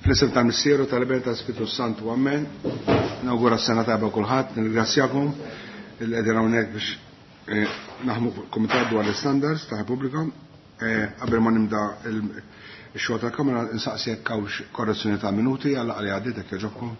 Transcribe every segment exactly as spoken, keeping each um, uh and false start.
Fl-isem tal-Missieru, tal-Iben, tal-Spiritu Santu, amen. Nawgura s-sena tajba kulħadd, nirringrazzjakom li qegħdin hawnhekk biex eh, naħmu komitat dwar l-standards ta' Repubblika. Eh, qabel ma nibda il-xogħol tal-Kamra insaqsi jekk hawnx korrezzjoni ta' minuti għal li għaddiet jekk jogħġobkom.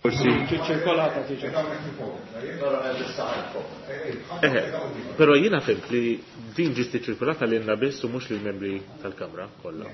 Forsi. Ċirkolata tiġi. Però jiena fhimt li din ġiet ċirkolata lilna biss u mhux lill-membri tal-Kamra kollha.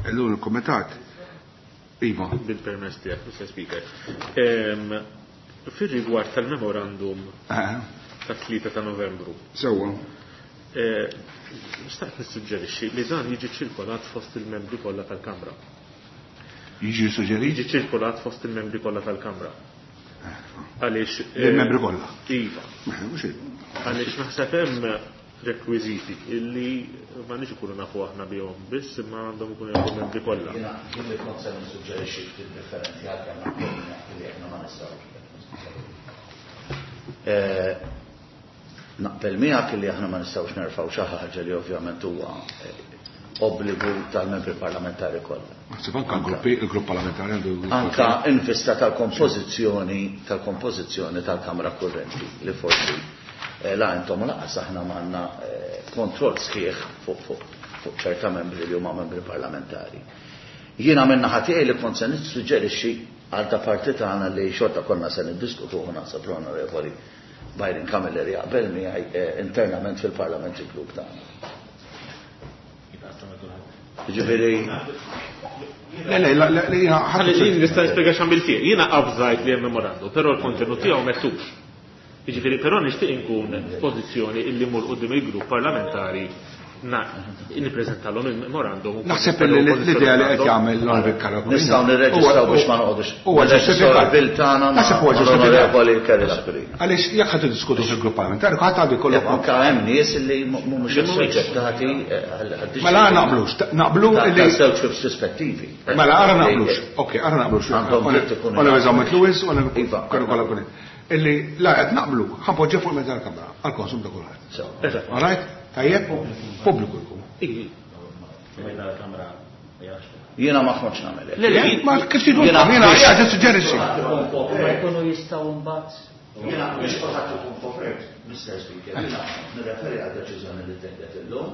Illum il-Kumitat. Iva. Bil-permess tiegħek, Mister Speaker. Fir-rigward tal-memorandum tat-tlieta ta' Novembru. Sewwa. Nistaqt nissuġġerixxi li dan jiġi ċirkolat fost il-membri kollha tal-Kamra. Jiġi suġġerit? Jiġi ċirkolat fost il-membri kollha tal-Kamra. Għaliex Il-membri kollha. Iva. Għaliex naħseb hemm rekwiżiti illi ma nix ikunu nafu aħna bihom biss imma għandhom ikunu jafu membri kollha. Jiena jien kont se nissuġġerixxi ftit differenti għalkemm naqbel li aħna ma nistgħux. Naqbel miegħek li aħna ma nistgħux nerfgħu xi ħaġa li ovvjament huwa obbligu tal-membri parlamentari kollha. Naħseb anke l-gruppi, il-grupp parlamentari għandu Anka in vista tal-kompożizzjoni tal-kompożizzjoni tal-Kamra Kurrenti li forsi la intom laqas aħna m'għandna kontroll sħiħ fuq fuq fuq ċerta membri li huma membri parlamentari. Jiena minn naħa tiegħi li kont se nissuġġerixxi għal ta' parti tagħna li xorta konna se niddiskutuh naħseb l-Onorevoli Byron Camilleri jaqbel miegħi internament fil-Parliamentary Group tagħna. Ġifieri Le, le, le, le, jiena Ħalli jien nista' nispjega x'għamil fih. Jiena avżajt li hemm memorandum, però l-kontenut tiegħu mettux. Jiġifieri però nixtieq inkun f'pożizzjoni illi mmur quddiem il-grupp parlamentari Nippreżentalhom il-memorandum. Naħseb li l-idea li qed jagħmel l-Onorevoli Karol. Nistgħu nirreġistraw biex ma noqogħdux. Huwa ġustifikat. Naħseb huwa ġustifikat. Għaliex jekk ħadd iddiskutu fil-grupp parlamentari, ħadd għandu jkollu. Anke hemm nies li mhumiex issuġġettati. Mela naqblux, naqblu li żewġ perspettivi. Mela ara naqblux. Okej, ara naqblux. Onorevoli Zammit Lewis, Onorevoli Karol. Illi la qed naqblu, ħanpoġġi fuq il-mezz tal-Kamra għall-konsum ta' kulħadd. All right? Tajjeb, pubbliku jkun. Jiena ma kontx nagħmel. Le, ma kif tidu jiena qiegħed nissuġġerixxi. Ma jkunu jistgħu mbagħad. Jiena biex kulħadd ikun kopert, Mister Speaker, jiena nirreferi għal deċiżjoni li ttieħdet illum.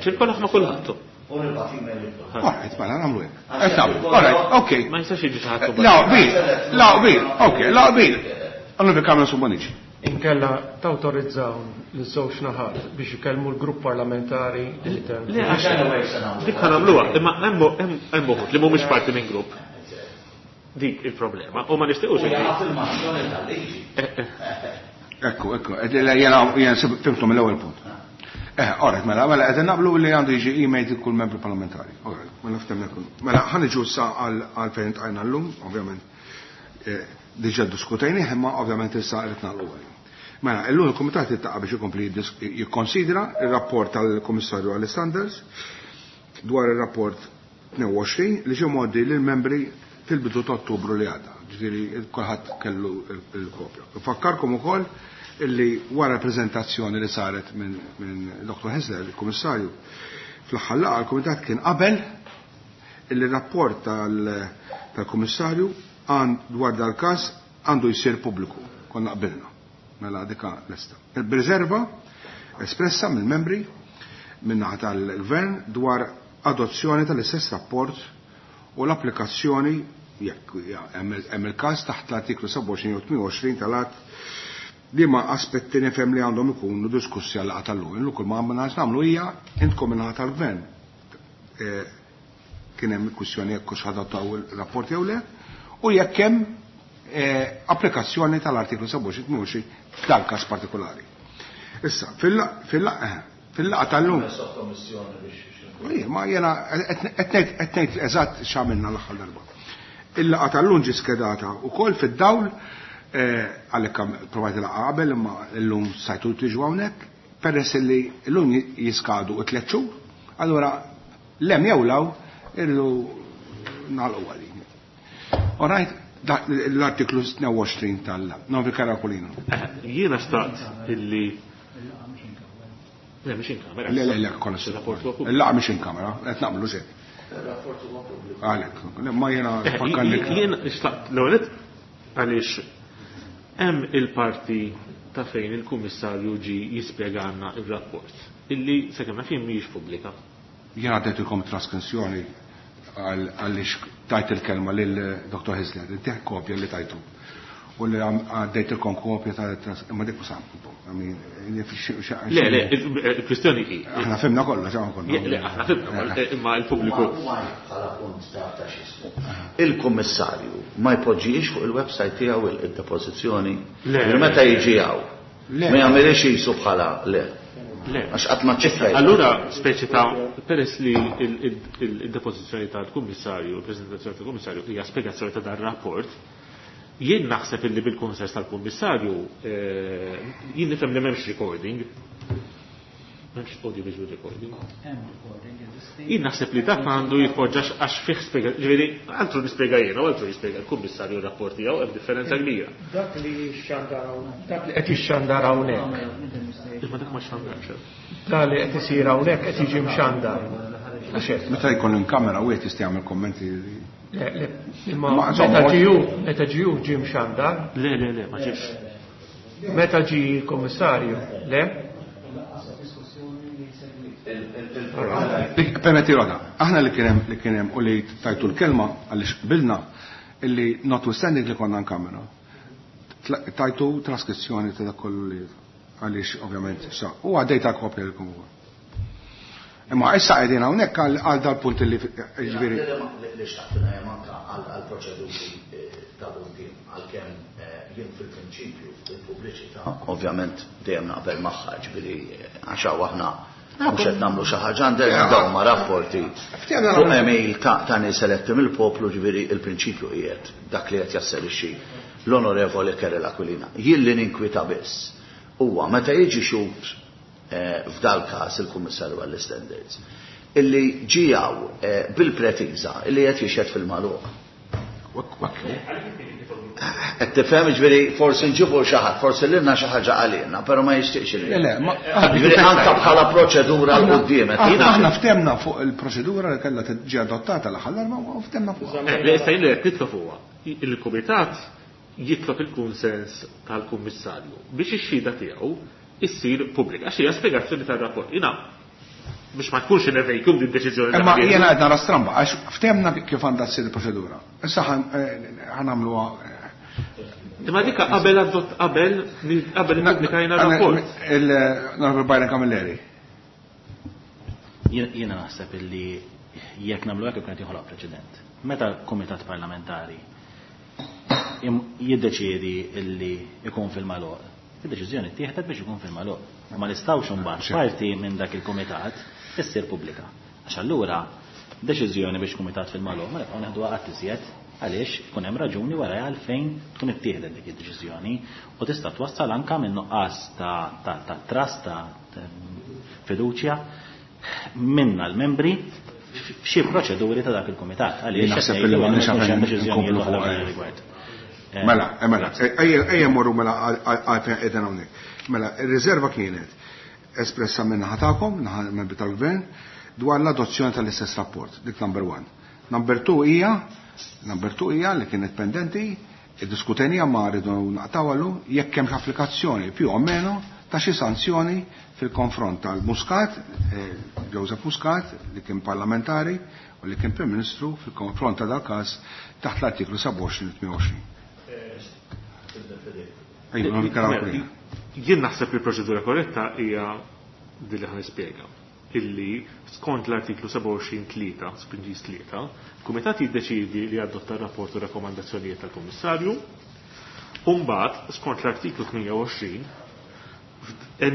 Ċirkola ma' kulħadd. U nibgħat email lil kulħadd. All right, mela nagħmlu hekk. Qed nagħmlu. All right, okay. Ma jistax jiġi xi ħadd. La qbil, la qbil, okay, la qbil. Onorevoli Carmen Subbonici. Inkella tawtorizzaw l-żewġ naħat biex ikellmu l-grupp parlamentari li Le, dik ħa nagħmluha, imma hemm uħud li mhumiex parti minn grupp. Dik il-problema, u ma nixtiequx. Afirmazzjoni tal-liġi. Ekku, ekku, jiena jiena fimtu mill-ewwel punt. Eh, alright, mela, mela qed naqblu li għandu jiġi email kull membru parlamentari. Alright, mela ftemna kull. Mela ħa niġu issa għal fejn tqajna llum, ovvjament. Diġà diskutejnih, imma ovvjament issa qed nagħlqu għalih. Mela, illum il-Kumitat iltaqa' biex ikompli jikkonsidra ir-rapport tal-Kummissarju għall-Standards dwar ir-rapport tnejn u għoxrin li ġie mgħoddi lill-membri fil-bidu ta' Ottubru li għadda. Ġifieri kulħadd kellu l-kopja. Nfakkarkom ukoll illi wara l-preżentazzjoni li saret minn Doktor Hyzler, il-Kummissarju, fl-aħħar laqgħa l-Kumitat kien qabel illi r-rapport tal-Kummissarju dwar dal-każ għandu jsir pubbliku. Konna qbilna. Mela dika lesta. Il-riserva espressa mill-membri min-naħa tal-Gvern dwar adozzjoni tal-istess rapport u l-applikazzjoni jekk hemm il-każ taħt l-artiklu sebgħa u għoxrin u tmien u għoxrin tal-att li ma aspetti nifhem li għandhom ikunu diskussi għal laqgħa tal-lum. Illum kull ma għandna nagħmlu hija intkom min-naħa tal-Gvern. Kien hemm kwistjoni jekk hux ħadattaw il-rapport jew le, u jekk hemm applikazzjoni tal-artiklu sebgħa u għoxrin tmien u għoxrin f'dal-każ partikolari. Issa, fil-laqgħa tal-lum. Ma jiena qed ngħid eżatt x'għamilna l-aħħar darba. Il-laqgħa tal-lum ġie skedata wkoll fid-dawl għalhekk provajt laqgħa qabel imma llum sajtu tiġu hawnhekk, peress li llum jiskadu tliet xhur, allura lem jew law irridu nagħlqu għalin. All right, l-artiklu tnejn u għoxrin tal-Novi Karakolino. Jiena xtaqt illi Le, mhix in kamera. Le, le, le, kollha Il-laqgħa mhix in kamera, qed naqblu xejn. Għalhekk, ma jiena fakkarlik. Jiena xtaqt l-ewwel għaliex hemm il-parti ta' fejn il-Kummissarju ġi jispjegana ir-rapport illi sakemm naf jien mhijiex pubblika. Jiena għaddejtilkom traskrizzjoni għaliex tajt il-kelma lil Doktor Hyzler, intih kopja li tajtu. U li għaddejtilkom kopja ta' imma dik sam. Le, le, il-kwistjoni hi. Aħna fimna kollha, x'aħna kollha. Le, aħna fimna, imma l-pubbliku. Bħala punt ta' x'ismu. Il-Kummissarju ma jpoġġix fuq il-website tiegħu il-depożizzjoni. Meta jiġi hawn. Ma jagħmilx jisu bħala le. Le. Għax qatt ma ċċekkajt. Allura speċi ta' peress li il-depożizzjoni tal-Kummissarju, il-preżentazzjoni tal-Kummissarju hija spjegazzjoni ta' dan rapport, jien naħseb illi bil-kunsens tal-Kummissarju jien nifhem li m'hemmx recording. M'hemmx audio visual recording. Jien naħseb li dak għandu jitpoġġa għax fih spjega, ġifieri altru nispjega jiena u altru jispjega l-Kummissarju r-rapport tiegħu hemm differenza kbira. Dak li xxandar hawnhekk, dak li qed jixxandar hawnhekk. Imma dak ma xandarx. Dak li qed isir hawnhekk qed jiġi mxandar. Meta jkun in kamera wieħed jista' jagħmel kommenti. Le, le, imma meta ġiju, meta ġiju ġie mxandar? Le, le, le, ma ġiex. Meta ġi l-Kummissarju, le? Permetti roda, aħna li kien hemm li kien hemm u li tajtu l-kelma għaliex qbilna illi notwithstanding li konna nkamera, tajtu traskrizzjoni ta' dak kollu li għaliex ovvjament sa u għaddejta kopja lilkom ukoll. Imma issa qegħdin hawnhekk għal dal-punt li ġifieri. Li xtaqt ngħid anke għall-proċeduri ta' quddiem għalkemm jien fil-prinċipju il-pubbliċità ovvjament dejjem naqbel magħha, ġifieri għax hawn aħna Mhux qed nagħmlu xi ħaġa għandek dawn ma' rapporti fuq email ta' nies eletti mill-poplu, ġifieri il-prinċipju qiegħed dak li qed jasserixxi l-Onorevoli Karol Aquilina. Jien li ninkwita biss huwa meta jiġi xhud f'dal każ il-Kummissarju għall-Standards illi ġijaw bil-pretiża illi qed jixhed fil-magħluq. Qed tifhem, ġifieri forsi nġibu xi ħadd, forsi lilna xi ħaġa għalina, però ma jixtieqx li. Le, ġifieri anke bħala proċedura l quddiem. Aħna ftemna fuq il-proċedura li kellha tiġi adottata l-aħħar darba u ftemna fuq. Le, issa jien li qed nitlob huwa il-kumitat jitlob il-kunsens tal-kummissarju biex ix-xhieda tiegħu issir pubblika. Għax hija spjegazzjoni tar-rapport. Jiena biex ma tkunx in vacuum din deċiżjoni. Imma jiena qed nara stramba għax ftemna kif għandha ssir il-proċedura. Issa ħanamluha. Imma dik qabel adott qabel qabel ippubblikajna r-rapport. Il-Onorevoli Byron Camilleri. Jiena naħseb illi jekk nagħmlu hekk ikun qed joħloq preċedent. Meta kumitat parlamentari jiddeċiedi illi ikun fil-magħluq, id-deċiżjoni ttieħdet biex ikun fil-magħluq. Ma nistgħux imbagħad parti minn dak il-kumitat issir pubblika. Għax allura deċiżjoni biex kumitat fil-magħluq ma nibqgħu neħduha qatt iżjed, għaliex ikun hemm raġuni wara għalfejn tkun ittieħdet dik id-deċiżjoni u tista' twassal anke minn nuqqas ta' trust, ta' fiduċja minna l-membri f'xi proċeduri ta' dak il-kumitat. Għaliex naħseb li m'għandniex għalfejn rigward. Mela, mela, ejja morru mela għalfejn qegħdin hawnhekk. Mela, ir-riserva kienet espressa minn naħa tagħkom, naħa membri tal-gvern, dwar l-adozzjoni tal-istess rapport, dik number one. Number two hija, number two hija li kienet pendenti, iddiskutenija ma rridu naqtawlu jekk hemm applikazzjoni più o meno ta' xi sanzjoni fil-konfront tal-Muscat, Joseph Muscat, li kien parlamentari u li kien Prim Ministru fil-konfront ta' dal-każ taħt l-artiklu sebgħa u għoxrin u tmien u għoxrin. Jien naħseb li l-proċedura korretta hija din li ħanispjega. Illi skont l-artiklu sebgħa u għoxrin tlieta, spinġis tlieta, il-Kumitat jiddeċiedi li jadotta r-rapport u rakkomandazzjonijiet tal-Kummissarju, u mbagħad skont l-artiklu tmien u għoxrin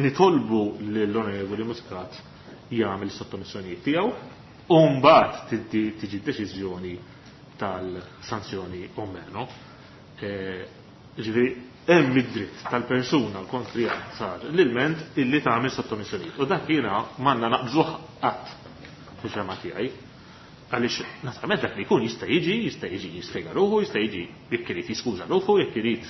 nitolbu lill-Onorevoli Muscat jagħmel sottomissjonijiet tiegħu, u mbagħad tiġi deċiżjoni tal-sanzjoni o meno. Ġifieri hemm id-dritt tal-persuna kontri sar l-ilment illi tagħmel sottomissjonijiet. U dak jiena m'għandna naqbżuh qatt fil-fema tiegħi. Għaliex naturalment dak li jkun jista' jiġi, jista' jiġi jispjega ruħu, jista' jiġi jekk irid jiskuża ruħu, jekk irid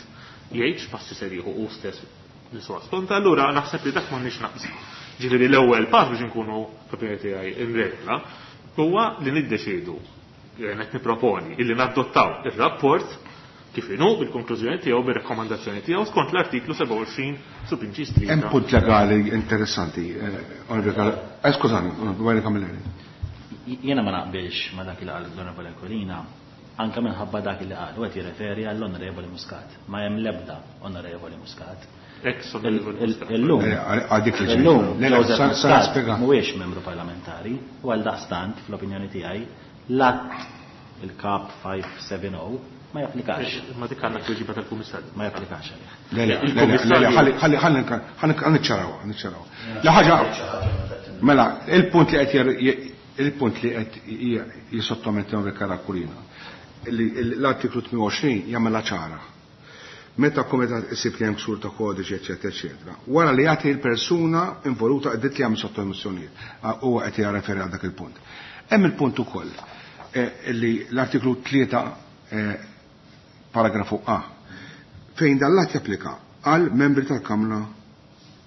jgħid x'passi ser jieħu hu stess li suwa skonta, allura naħseb li dak m'għandniex naqbżu. Ġifieri l-ewwel pass biex inkunu fl-opinjoni tiegħi in regola huwa li niddeċiedu, qed nipproponi illi nadottaw ir-rapport kif inhu bil-konklużjoni tiegħu bir-rakkomandazzjoni tiegħu skont l-artiklu sebgħa u għoxrin subinċis tlieta. Hemm punt legali interessanti, eh, skużani, Onorevoli Camilleri. Jiena ma naqbilx ma dak li qal l-Onorevoli Aquilina, anke minħabba dak li qal, u qed jirreferi għall-Onorevoli Muscat. Ma hemm l-ebda Onorevoli Muscat. Ex Onorevoli Muscat. Illum, illum Joseph Muscat mhuwiex membru parlamentari u għal daqstant fl-opinjoni tiegħi l-att il-Kap five seven oh ma japplikax. Ma dik għandna tweġiba tal-Kummissarju. Ma japplikax għalih. Le, le, le, le, ħalli, ħalli, ħalli, ħalli niċċaraw, niċċaraw. La ħaġa, mela, il-punt li qed il-punt li qed jisottometti Karol Aquilina, l-artiklu tmien u għoxrin jagħmilha ċara. Meta kumitat isib li hemm ksur ta' kodiċi, eċetera, eċetera. Wara li jagħti l-persuna involuta qed li jagħmel sottomissjonijiet, huwa qed jirreferi għal dak il-punt. Hemm il-punt ukoll li l-artiklu tlieta paragrafu A fejn dan l-att japplika għal membri tal-Kamra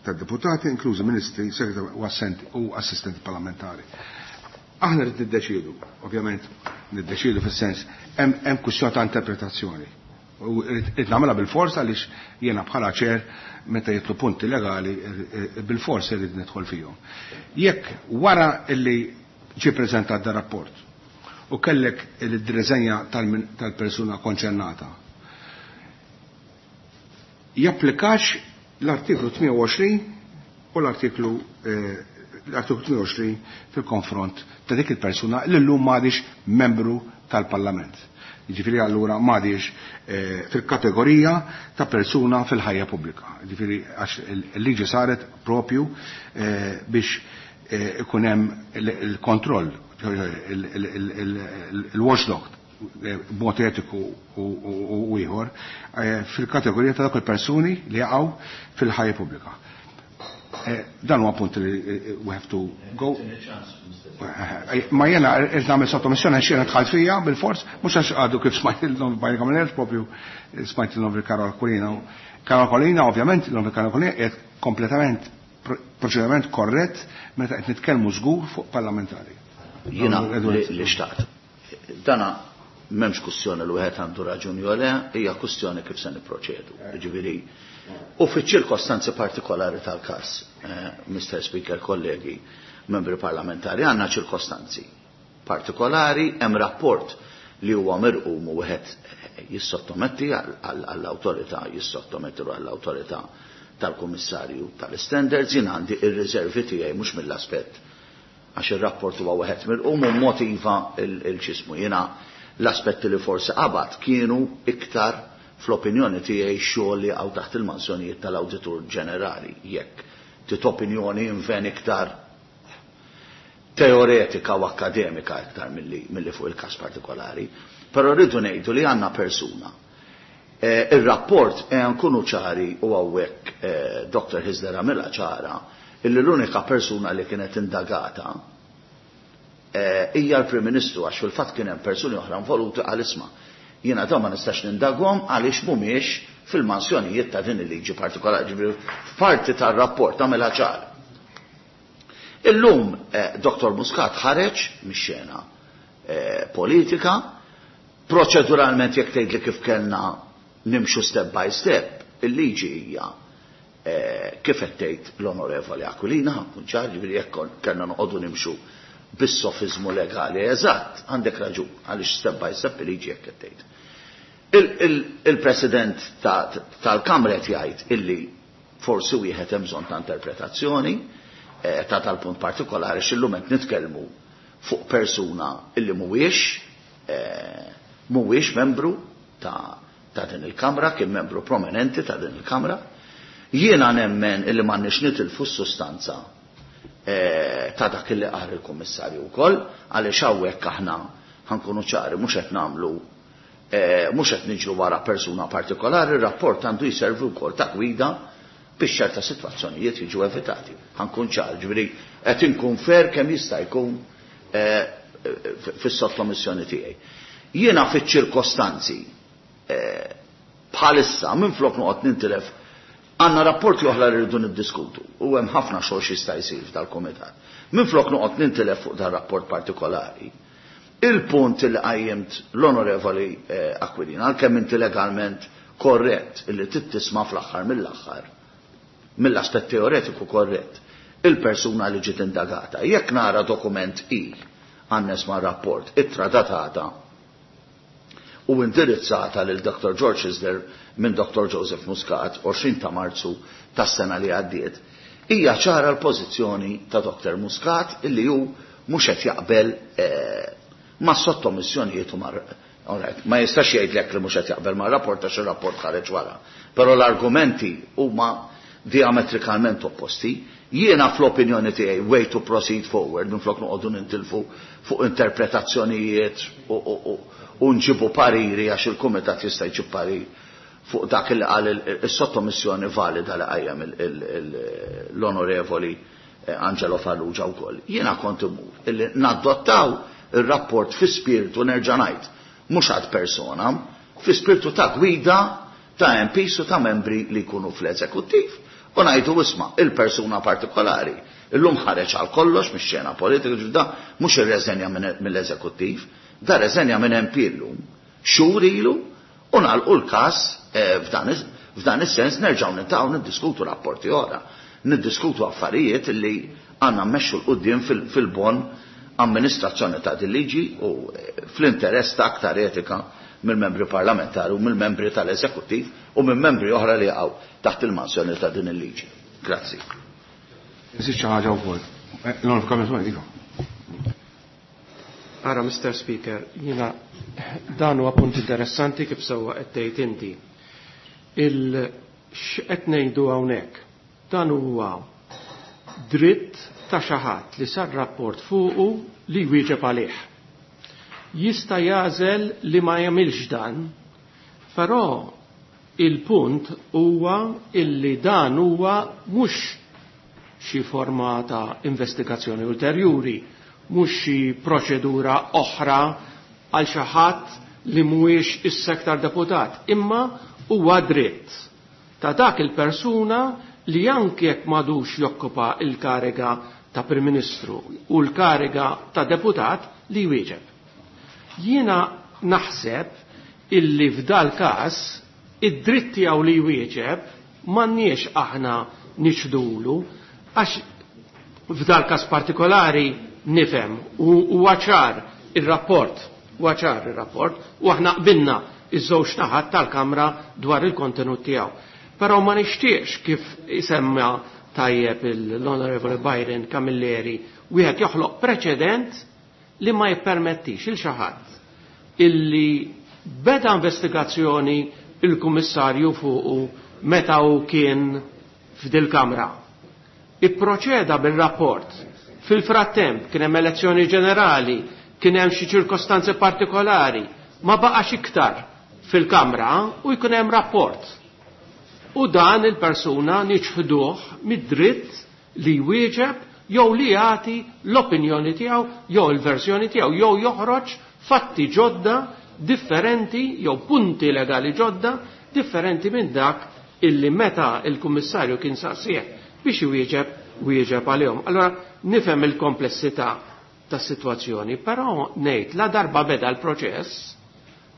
tad-Deputati, inklużi ministri, segretari u assistenti parlamentari. Aħna rrid niddeċiedu, ovvjament niddeċiedu fis-sens hemm kwistjoni ta' interpretazzjoni. U rrid nagħmilha bil-forsa għaliex jiena bħala ċer meta jitlu punti legali bil-forsa rrid nidħol fihom. Jekk wara illi ġie preżentat dar rapport u kellek il-direżenja tal-persuna konċernata, japplikax l-artiklu tmien u għoxrin u l-artiklu l-artiklu tmien u għoxrin fil-konfront ta' dik il-persuna li llum m'għadix membru tal-Parlament. Jiġifieri allura m'għadix fil-kategorija ta' persuna fil-ħajja pubblika. Jiġifieri għax il-liġi saret propju biex ikun hemm il-kontroll, il-watchdog b'mod etiku u ieħor fil-kategorija ta' dawk il-persuni li jaqgħu fil-ħajja pubblika. Dan huwa punt li we have to go. Ma jena irrid nagħmel sottomissjoni għax jiena dħalt fija bil-fors, mhux għax għadu kif smajt il-nom Byron Camilleri, propju smajt il-nom Karol Aquilina. Karol Aquilina, ovvjament, il-nom Karol Aquilina qiegħed kompletament proċediment korrett meta qed nitkellmu żgur fuq parlamentari. Jiena li xtaqt. Dana m'hemmx kwistjoni li wieħed għandu raġuni jew le, hija kwistjoni kif se nipproċedu. Jiġifieri, u fiċ-ċirkostanzi partikolari tal-każ, Mister Speaker, kollegi, membri parlamentari, għandna ċirkostanzi partikolari, hemm rapport li huwa mirqum u wieħed jissottometti għall-awtorità, jissottometti għall-awtorità tal-Kummissarju tal-Standards, jien għandi ir-riservi tiegħi mhux mill-aspett għax ir-rapport huwa wieħed mirqum u motiva il-ċismu. Jiena l-aspetti li forsi qabad kienu iktar fl-opinjoni tiegħi xogħol li għaw taħt il-mansjonijiet tal-Awditur Ġenerali, jekk tit opinjoni inven iktar teoretika u akademika iktar milli fuq il-każ partikolari, però rridu ngħidu li għandna persuna. Ir-rapport nkunu ċari u hawnhekk Doctor Hyzler għamilha ċara illi l-unika persuna li kienet indagata hija l-Prim Ministru, għax fil-fatt kien hemm persuni oħra involuti għal isma'. Jiena dawn ma nistax nindaghom għaliex mhumiex fil-mansjonijiet ta' din il-liġi partikolari, ġifieri f'parti tar-rapport tagħmilha ċara. Illum Doctor Muscat ħareġ mix-xena politika, proċeduralment jekk tgħidli kif kellna nimxu step by step, il-liġi hija kif qed tgħid l-Onorevoli Aquilina, ħankun ċar, ġifieri jekk kellna noqogħdu nimxu bis-sofizmu legali, eżatt, għandek raġun, għaliex step by step il-liġi jekk qed tgħid. Il-President tal-Kamra qed jgħid illi forsi wieħed hemm bżonn ta' interpretazzjoni ta' tal-punt partikolari, x'illum qed nitkellmu fuq persuna illi mhuwiex mhuwiex membru ta' ta' din il-Kamra, kien membru prominenti ta' din il-Kamra. Jiena nemmen illi m'għandniex nitilfu s-sustanza ta' dak illi qal il-Kummissarju wkoll, għaliex hawnhekk aħna ħankunu ċari mhux qed nagħmlu mhux qed niġru wara persuna partikolari, ir-rapport għandu jservi wkoll ta' gwida biex ċerta sitwazzjonijiet jiġu evitati. Ħankun ċar, ġifieri qed inkun fair kemm jista' jkun fis-sottomissjoni tiegħi. Jiena fiċ-ċirkostanzi bħalissa minflok noqgħod nintilef għandna rapporti oħra li rridu niddiskutu u hemm ħafna xogħol x'jista' jsir f'dal-kumitat. Minflok noqgħod nintilef fuq dan rapport partikolari, il-punt li qajjimt l-Onorevoli Aquilina, għalkemm inti legalment korrett illi tittisma' fl-aħħar mill-aħħar, mill-aspett teoretiku korrett, il-persuna li ġiet indagata. Jekk nara dokument I għannes ma' rapport, ittra datata u indirizzata lil Doctor George Hyzler minn Doctor Joseph Muscat għoxrin ta' Marzu tas-sena li għaddiet, hija ċara l-pożizzjoni ta' Doctor Muscat illi hu mhux qed jaqbel ma' sottomissjonijiet u ma' ma jistax jgħidlek li mhux qed jaqbel ma' rapport għax ir-rapport ħareġ wara. Però l-argumenti huma diametrikalment opposti. Jiena fl-opinjoni tiegħi way to proceed forward minflok noqogħdu nintilfu fuq interpretazzjonijiet u nġibu pariri għax il-kumitat jista' jġib parir fuq dak li qal is-sottomissjoni valida li qajjem l-Onorevoli Angelo Farrugia wkoll. Jiena kont imur illi nadottaw ir-rapport fi spiritu nerġa' ngħid mhux għad persona, fi spiritu ta' gwida ta' M Ps u ta' membri li jkunu fl-eżekuttiv. U ngħidu isma' il-persuna partikolari illum ħareġ għal kollox mix-xena politika, ġifda mhux irreżenja mill-eżekuttiv, da reżenja minn M P illum, xhur ilu, u nagħlqu l-każ f'dan is-sens nerġgħu nintaqgħu niddiskutu rapporti oħra, niddiskutu affarijiet li għandna mmexxu l quddiem fil-bon amministrazzjoni ta' din liġi u fl-interess ta' aktar etika mill-membri parlamentari u mill-membri tal-eżekuttiv u minn membri oħra li jaqgħu taħt il-mansjoni ta' din il-liġi. Grazzi. Eżisti xi ħaġa wkoll. L-Onorevoli Kamil, iva. Ara, Mister Speaker, jiena dan huwa punt interessanti kif sewwa qed tgħid inti. Il x'qed ngħidu hawnhekk? Dan huwa dritt ta' xi ħadd li sar rapport fuqu li jwieġeb għalih. Jista' jagħżel li ma jagħmilx dan, però il-punt huwa illi dan huwa mhux xi forma ta' investigazzjoni ulterjuri, mhux xi proċedura oħra għal xi ħadd li mhuwiex is-sektar deputat, imma huwa dritt ta' dak il-persuna li anke jekk m'għadux jokkupa il-kariga ta' Prim Ministru u l-kariga ta' deputat li jwieġeb. Jiena naħseb illi f'dal każ id-dritt tiegħu li jwieġeb m'għandniex aħna niċdulu, għax f'dal każ partikolari nifhem u huwa ċar ir-rapport, huwa ċar ir-rapport u aħna qbilna iż-żewġ naħat tal-Kamra dwar il-kontenut tiegħu. Però ma nixtieqx kif isemma tajjeb l-Onorevole Byron Camilleri wieħed joħloq preċedent li ma jippermettix il xi ħadd illi beda investigazzjoni il-Kummissarju fuqu meta hu kien f'dil-Kamra. Ipproċeda bil-rapport. Fil-frattemp kien hemm elezzjoni ġenerali, kien hemm xi ċirkostanzi partikolari, ma baqax iktar fil-Kamra u jkun hemm rapport. U dan il-persuna niċħduh mid-dritt li jwieġeb jew li jagħti l-opinjoni tiegħu jew il-verżjoni tiegħu jew joħroġ fatti ġodda differenti jew punti legali ġodda differenti minn dak illi meta il-Kummissarju kien saqsih biex iwieġeb wieġeb għalihom. Allora nifhem il-komplessità tas-sitwazzjoni, però ngħid la darba beda l-proċess,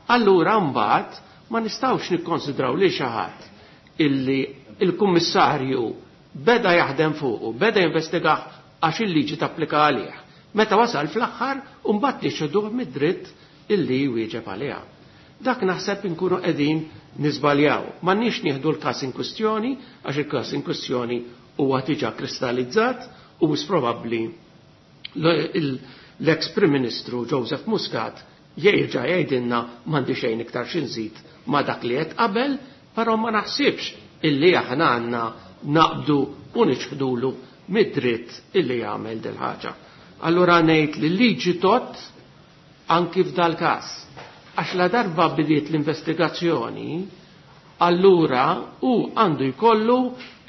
allura mbagħad ma nistgħux nikkonsidraw li xi ħadd illi il-Kummissarju beda jaħdem fuqu, beda jinvestigah għax il-liġi tapplika għalih. Meta wasal fl-aħħar u mbagħad niċċeduh mid-dritt illi jwieġeb għaliha. Dak naħseb inkunu qegħdin niżbaljaw. M'għandniex nieħdu l-każ in kwistjoni għax il-każ in kwistjoni huwa diġà kristallizzat u wis probabbli l-ex Prim Ministru Joseph Muscat jerġa' jgħidilna m'għandi xejn iktar xi nżid ma' dak li qed qabel, però ma naħsibx illi aħna għandna naqbdu u niċħdulu mid-dritt illi jagħmel dil ħaġa. Allura ngħid li l-liġi tot anki f'dal każ. Għax la darba bidiet l-investigazzjoni, allura hu għandu jkollu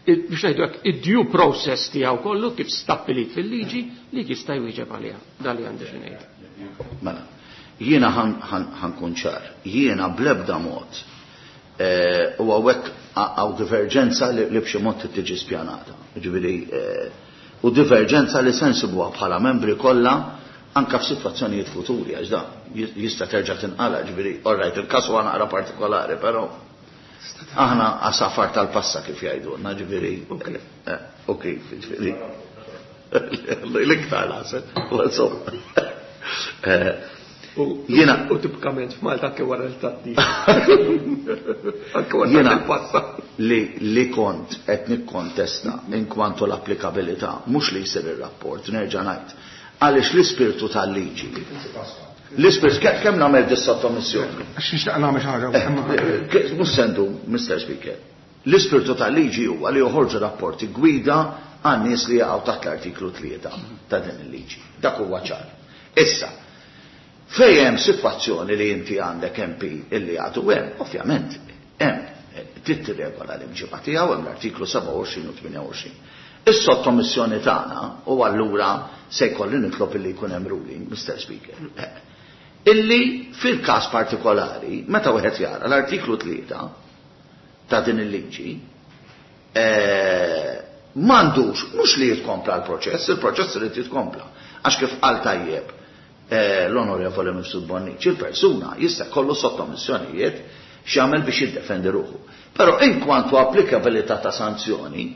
biex ngħidu hekk id-due process tiegħu kollu kif stabbilit fil-liġi li jista' jwieġeb għaliha. Dan li għandi xi ngħid. Mela, jiena ħankun ċar, jiena bl-ebda mod u hawnhekk hawn diverġenza li b'xi mod tiġi spjanata. Ġifieri u diverġenza li se nsibuha bħala membri kollha anka f'sitwazzjonijiet futuri, għax da jista' terġa' tinqala, ġifieri, all right, il-każ huwa naqra partikolari, però aħna għasafar tal-passa kif jgħidulna, ġifieri. U kif, ġifieri. L-iktar naħseb, insomma. Jiena u tipikament f'Malta anke wara l-tatti. Anke wara l-passa. Li li kont qed nikkontesta in kwantu l-applikabilità, mhux li jsir ir-rapport, nerġa' ngħid. Għaliex l-ispirtu tal-liġi. L-ispirtu, kemm nagħmel dis-sottomissjoni? Għax nixtieq nagħmel xi ħaġa. Mhux sendu, Mister Speaker. L-ispirtu tal-liġi huwa li joħorġu rapporti gwida għan-nies li jaqgħu taħt l-artiklu tlieta ta' din il-liġi. Dak huwa ċar. Issa, fejn hemm sitwazzjoni li inti għandek M P illi għadu hemm, ovvjament hemm trid tirregola l-imġiba tiegħu hemm l-artiklu sebgħa u għoxrin u tmienja u għoxrin. Is-sottomissjoni tagħna u allura se jkolli nitlob illi jkun hemm ruling, Mister Speaker. Illi fil-każ partikolari, meta wieħed jara l-artiklu tlieta ta' din il-liġi, m'għandux mhux li jitkompla l-proċess, il-proċess irid jitkompla. Għax kif qal tajjeb l-Onorevole Mifsud Bonnici, il-persuna jista' jkollu sottomissjonijiet x'jagħmel biex jiddefendi ruħu. Però in kwantu applikabilità ta' sanzjoni,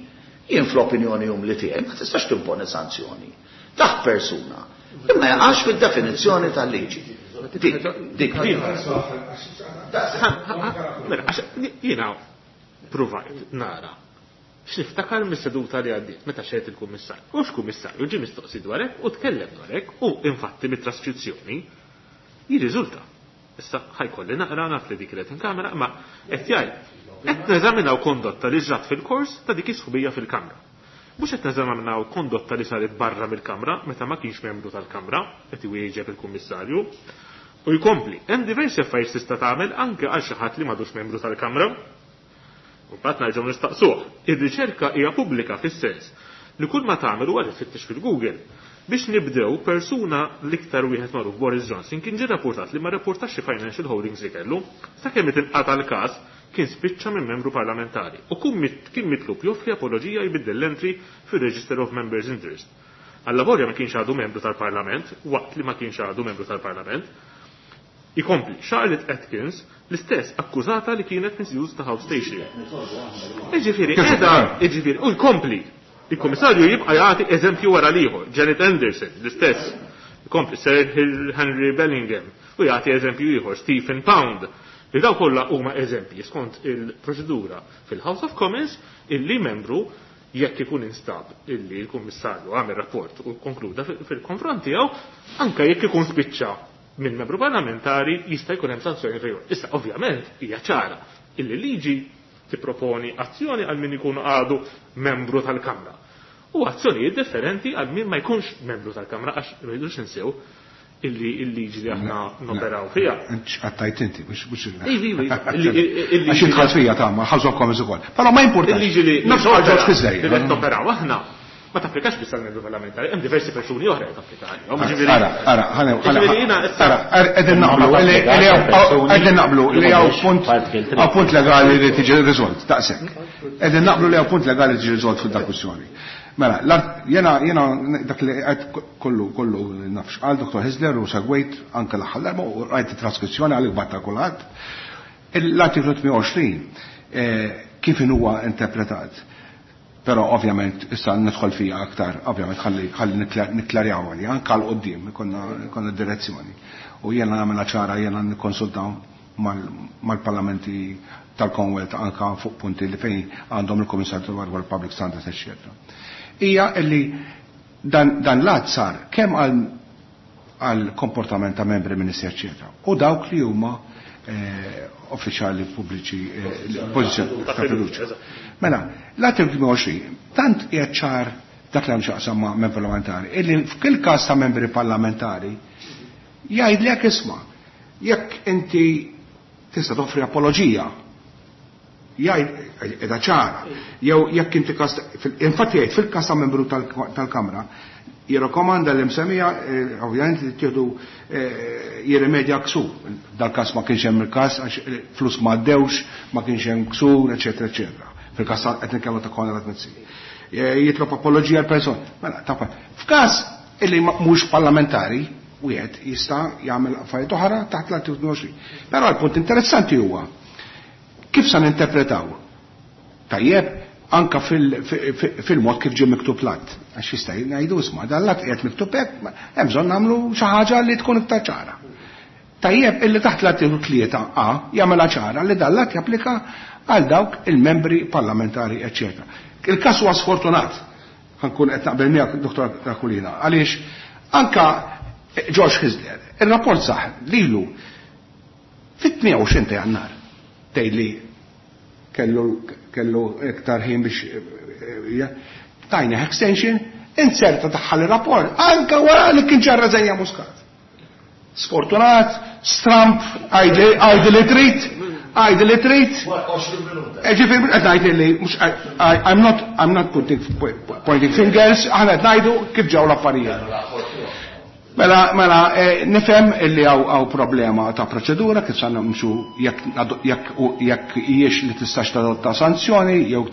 jien fl-opinjoni umli tiegħi ma tistax timponi sanzjoni taħt persuna imma jaqax fid-definizzjoni tal-liġi. Dik, dik. Mela, jiena provajt nara x'niftakar mis-seduta li għaddiet meta xejt il-kummissarju. U x'kummissarju ġie mistoqsi dwar hekk u tkellem dwar hekk u infatti mit-traskrizzjoni jirriżulta. Issa ħajkolli naqra naf li dik kienet in kamera, ma qed jgħid qed neżaminaw kondotta li ġrat fil-kors ta' dik is-sħubija fil-kamra. Mhux qed neżaminaw kondotta li saret barra mill-Kamra meta ma kienx membru tal-Kamra, qed iwieġeb il-Kummissarju. U jkompli, hemm diversi affarijiet tista' tagħmel anke għal xi ħadd li m'għadux membru tal-Kamra. U mbagħad nerġgħu nistaqsuh. Ir-riċerka hija pubblika fis-sens li kull ma tagħmel huwa li tfittex fil-Google. Biex nibdew, persuna l-iktar wieħed magħruf Boris Johnson kien ġie rapportat li ma rapportax xi financial holdings li kellu, sakemm inqata' l-każ kien spiċċa minn membru parlamentari u kien mitlub joffri apoloġija jbiddel l-entry fir-Register of Members Interest. Allavolja ma kienx għadu membru tal-Parlament, waqt li ma kienx għadu membru tal-Parlament. Ikompli, Charlotte Atkins l-istess akkużata li kienet misuse ta' House Station. Iġifieri, qiegħda, iġifieri, u jkompli. Il-Kummissarju jibqa' jagħti eżempju wara l-ieħor, Janet Anderson, l-istess. Ikompli Sir Henry Bellingham u jagħti eżempju ieħor, Stephen Pound. Li daw kollha huma eżempji skont il-proċedura fil-House of Commons illi membru jekk ikun instab illi l-Kummissarju għamel rapport u konkluda fil-konfront tiegħu, anke jekk ikun spiċċa minn membru parlamentari jista' jkun hemm sanzjoni fejn. Issa ovvjament hija ċara illi liġi tipproponi azzjoni għal min ikun għadu membru tal-Kamra. U azzjonijiet differenti għal min ma jkunx membru tal-Kamra għax rridux ninsew illi il-liġi li aħna noperaw fija. Għattajt inti, mux mux. Ivi, ivi. Għax idħalt fija ta' ma House of Commons ukoll. Però ma importa. Il-liġi li Nafx għal George Kisler. li qed noperaw aħna ma tapplikax biss għal membru parlamentari, hemm diversi persuni oħra li tapplika għalihom. Ġifieri- Ara, ara, ħane, Ġifieri jiena issa- ara, qegħdin naqblu, li qegħdin naqblu li hawn punt hawn punt legali li tiġi riżolt, daqshekk. Qegħdin naqblu li hawn punt legali li tiġi riżolt fil kwistjoni. Mela, jena jena dak li qed kollu kollu nafx qal Dottor Hyzler u segwejt anke l-aħħar darba u rajt it-traskrizzjoni għalik batta kulħadd. L-artiklu tmien u għoxrin kif huwa interpretat. Però ovvjament issa nidħol fija aktar, ovvjament ħalli ħalli nikklarjaw għalli, anke għal quddiem ikonna direzzjoni. U jiena nagħmilha ċara, jiena nikkonsultaw mal-parlamenti tal-Commonwealth anka fuq punti li fejn għandhom il-Kummissarju dwar Public Standards, eċċetera. Hija illi dan, dan l-att sar kemm għal għal komportament ta' membri, ministri, eċċetera. U dawk li huma eh, uffiċjali pubbliċi, eh, pożizzjoni ta' fiduċja. Mela, l-artiklu għoxrin tant qiegħed ċar dak li hemm x'jaqsam ma' membri parlamentari, illi f'kull każ ta' membri parlamentari jgħidlek isma' jekk inti tista' toffri apoloġija, jgħid edha ċara, jew jekk inti każ, infatti jgħid fil-każ ta' membru tal-Kamra jirrakkomanda li msemmija ovvjament li tieħdu jirrimedja ksur. Dal-każ ma kienx hemm il-każ għax flus ma għaddewx, ma kienx hemm ksur, eċetera, eċetera. Fil-każ qed nitkellmu ta' Konrad Mizzi. Jitlob apoloġija l-persona. Mela, ta' f'każ illi mhux parlamentari, wieħed jista' jagħmel affarijiet oħra taħt l-artiklu għoxrin. Però l-punt interessanti huwa kif sa ninterpretaw? Tajjeb, anka fil-mod kif ġie miktub l-att. Għax jista' ngħidu isma' dan l-att qiegħed miktub hekk, hemm bżonn nagħmlu xi ħaġa li tkun iktar ċara. Tajjeb illi taħt l-artiklu tlieta A jagħmilha ċara li dan l-att japplika għal dawk il-membri parlamentari, eċċetera. Il-każ huwa sfortunat, ħankun qed naqbel miegħek Dottor Aquilina, għaliex anka George Hyzler, il-rapport saħ lilu fit-tmien u għoxrin ta' Jannar tgħid li kellu kellu iktar ħin biex tajna extension, inserta daħħal il-rapport anka wara li kien ġarra żejja Muscat. Sfortunat, stramp, għajdi li trid, għajdi li trid. Ġifieri qed ngħid li mhux I'm not I'm not putting pointing fingers, aħna qed ngħidu kif ġew l-affarijiet. Mela, mela, nifhem illi hawn problema ta' proċedura kif sa nimxu jekk jekk hijiex li tistax tadotta sanzjoni jew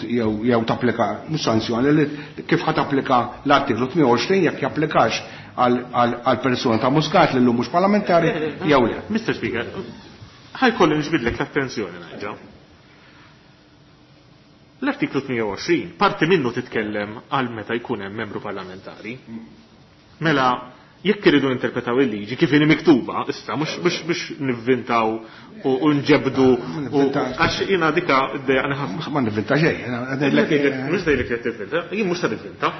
jew tapplika mhux sanzjoni li kif ħa tapplika l-artiklu tmien u għoxrin jekk japplikax għal persuna ta' Muscat li llum mhux parlamentari jew le. Mister Speaker, ħajkolli nġbidlek l-attenzjoni nerġa'. L-artiklu tmien u għoxrin parti minnu titkellem għal meta jkun hemm membru parlamentari. Mela, jekk iridu ninterpretaw il-liġi kif inhi miktuba, issa mhux mhux mhux nivvintaw u nġebdu għax jiena dika ddejjaqni ħafna. Ma nivvinta xejn, mhux dejlek qed tivvinta, jien mhux se nivvinta.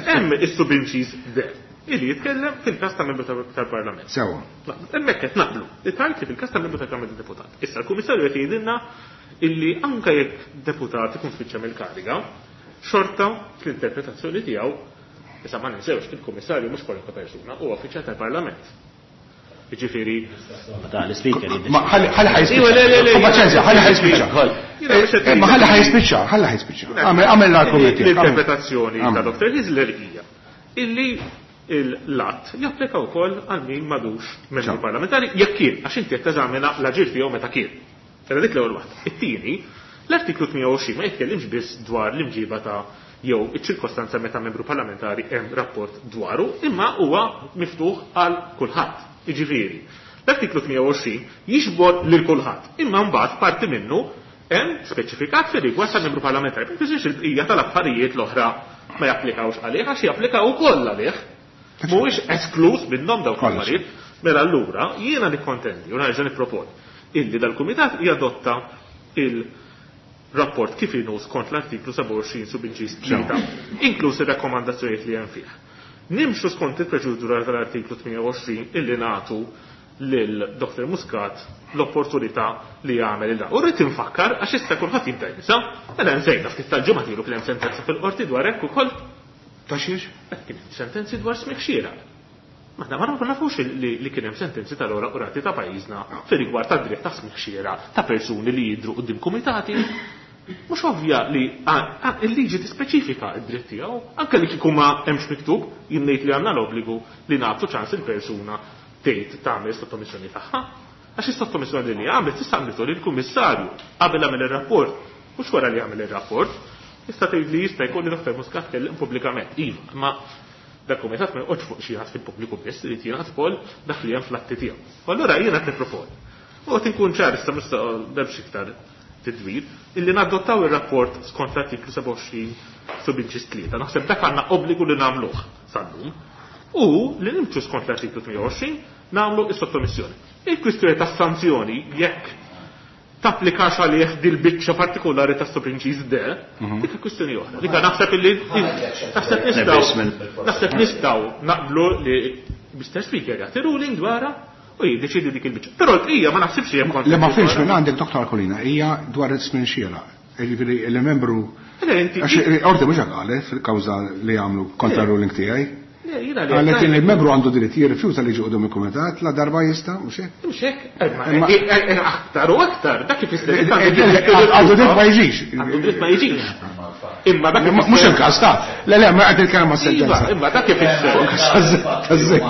Hemm is-subinċiż de illi jitkellem fil-każ ta' membru tal-Parlament. Sewa. Hemmhekk qed naqblu. Tgħid li fil-każ ta' membru tal-Parlament deputat. Issa l-Kummissarju qed jgħidilna illi anke jekk deputat ikun spiċċa mill-kariga, Xorta fl-interpretazzjoni tiegħu, issa ma ninsewx il-Kummissarju mhux kwalunkwe persuna, huwa uffiċjal tal-Parlament. Jiġifieri. Ta' l-speaker Ma ħalli ħalli ħa jispiċċa. Paċenzja, ħalli ħa jispiċċa. Ma ħalli ħa jispiċċa, ħalli ħa jispiċċa. Għamel l-argument tiegħek. L-interpretazzjoni ta' Dottor Hyzler hija illi l-att japplika wkoll għal min m'għadux membru parlamentari jekk kien, għax inti qed teżamina l-aġir tiegħu meta kien. Era dik l-ewwel waħda. It-tieni, l-artiklu tmienja u għoxrin ma jitkellimx biss dwar l-imġiba ta' jew iċ-ċirkostanza meta membru parlamentari hemm rapport dwaru, imma huwa miftuħ għal kulħadd. Jiġifieri, l-artiklu tmienja u għoxrin jiġbor lil kulħadd, imma mbagħad parti minnu hemm speċifikat fir-rigward tal-membru parlamentari. Ma jfissirx il-bqija tal-affarijiet l-oħra ma japplikawx għalih, għax japplikaw ukoll għalih. Mhuwiex esklus minnhom dawk l-affarijiet. Mela allura jiena nikkontendi u nerġa' nipproponi illi dal-kumitat jadotta il-rapport kif inhu skont l-artiklu sebgħa u għoxrin subinċis tlieta, inkluż ir-rakkomandazzjonijiet li hemm fih. Nimxu skont il-proċedura tal-artiklu tmienja u għoxrin illi nagħtu lil Doktor Muscat l-opportunità li jagħmel il-dan. U rrid infakkar għax issa kulħadd jibda jinsa, mela nżejna ftit tal-ġimgħa tilu kien hemm sentenza fil-qorti dwar hekk ukoll. Ta' xiex? Kien hemm sentenzi dwar smigħ xieraq. Ma ma nafux li, li kien hemm sentenzi tal-ora qrati ta' pajjiżna fir-rigward tad-dritt ta' smigħ xieraq ta' persuni li jidhru quddiem kumitati. Mhux ovvja li il-liġi tispeċifika d-dritt tiegħu, anke li kieku ma hemmx miktub, jien ngħid li għandna l-obbligu li nagħtu ċans il-persuna tgħid tagħmel sottomissjoni tagħha. Għax is-sottomissjoni li għamlet tista' għamlitu lill-kummissarju qabel għamel ir-rapport, mhux wara li għamel ir-rapport. Tista' tgħid li jista' jkun li Doktor Muscat kellem pubblikament. Iva, imma dak kumitat ma joqgħodx fuq xi ħadd fil-pubbliku biss, irid jingħad ukoll dak li hemm fl-atti tiegħu. U allura jiena qed nipproponi. U qed inkun ċar issa mhux m'hemmx iktar tidwir, illi nadottaw ir-rapport skont l-artiklu sebgħa u għoxrin subinċis tlieta. Naħseb dak għandna obbligu li nagħmluh sal-lum. U li nimxu skont l-artiklu tmienja u għoxrin nagħmlu is-sottomissjoni. Il-kwistjoni tas-sanzjoni jekk tapplikax għalih dil-biċċa partikolari ta' subinċis D, dik kwistjoni oħra. Dik naħseb illi naħseb nistgħu naħseb nistgħu naqblu li Mister Speaker jagħti ruling dwarha u jiddeċidi dik il-biċċa. Però l-bqija ma naħsibx li hemm Le ma fimx minn għandek Doktor Aquilina hija dwar is-smin xieraq. Jiġifieri il-membru Le, inti għax orti mhux hekk qalet fil-kawża li għamlu kontra ruling tiegħi. Le, jiena li Qalet qed li il-membru għandu dritt jirrifjuta li jiġi quddiem il-kumitat la darba jista', mhux hekk? Mhux hekk, imma aktar u aktar, dak kif jista' Għandu dritt ma jiġix. Għandu dritt ma jiġix. Imma dak Mhux il-każ ta'. Le, le, ma qed nitkellem mas-sentenza. Iva, imma dak kif Taż-żejt.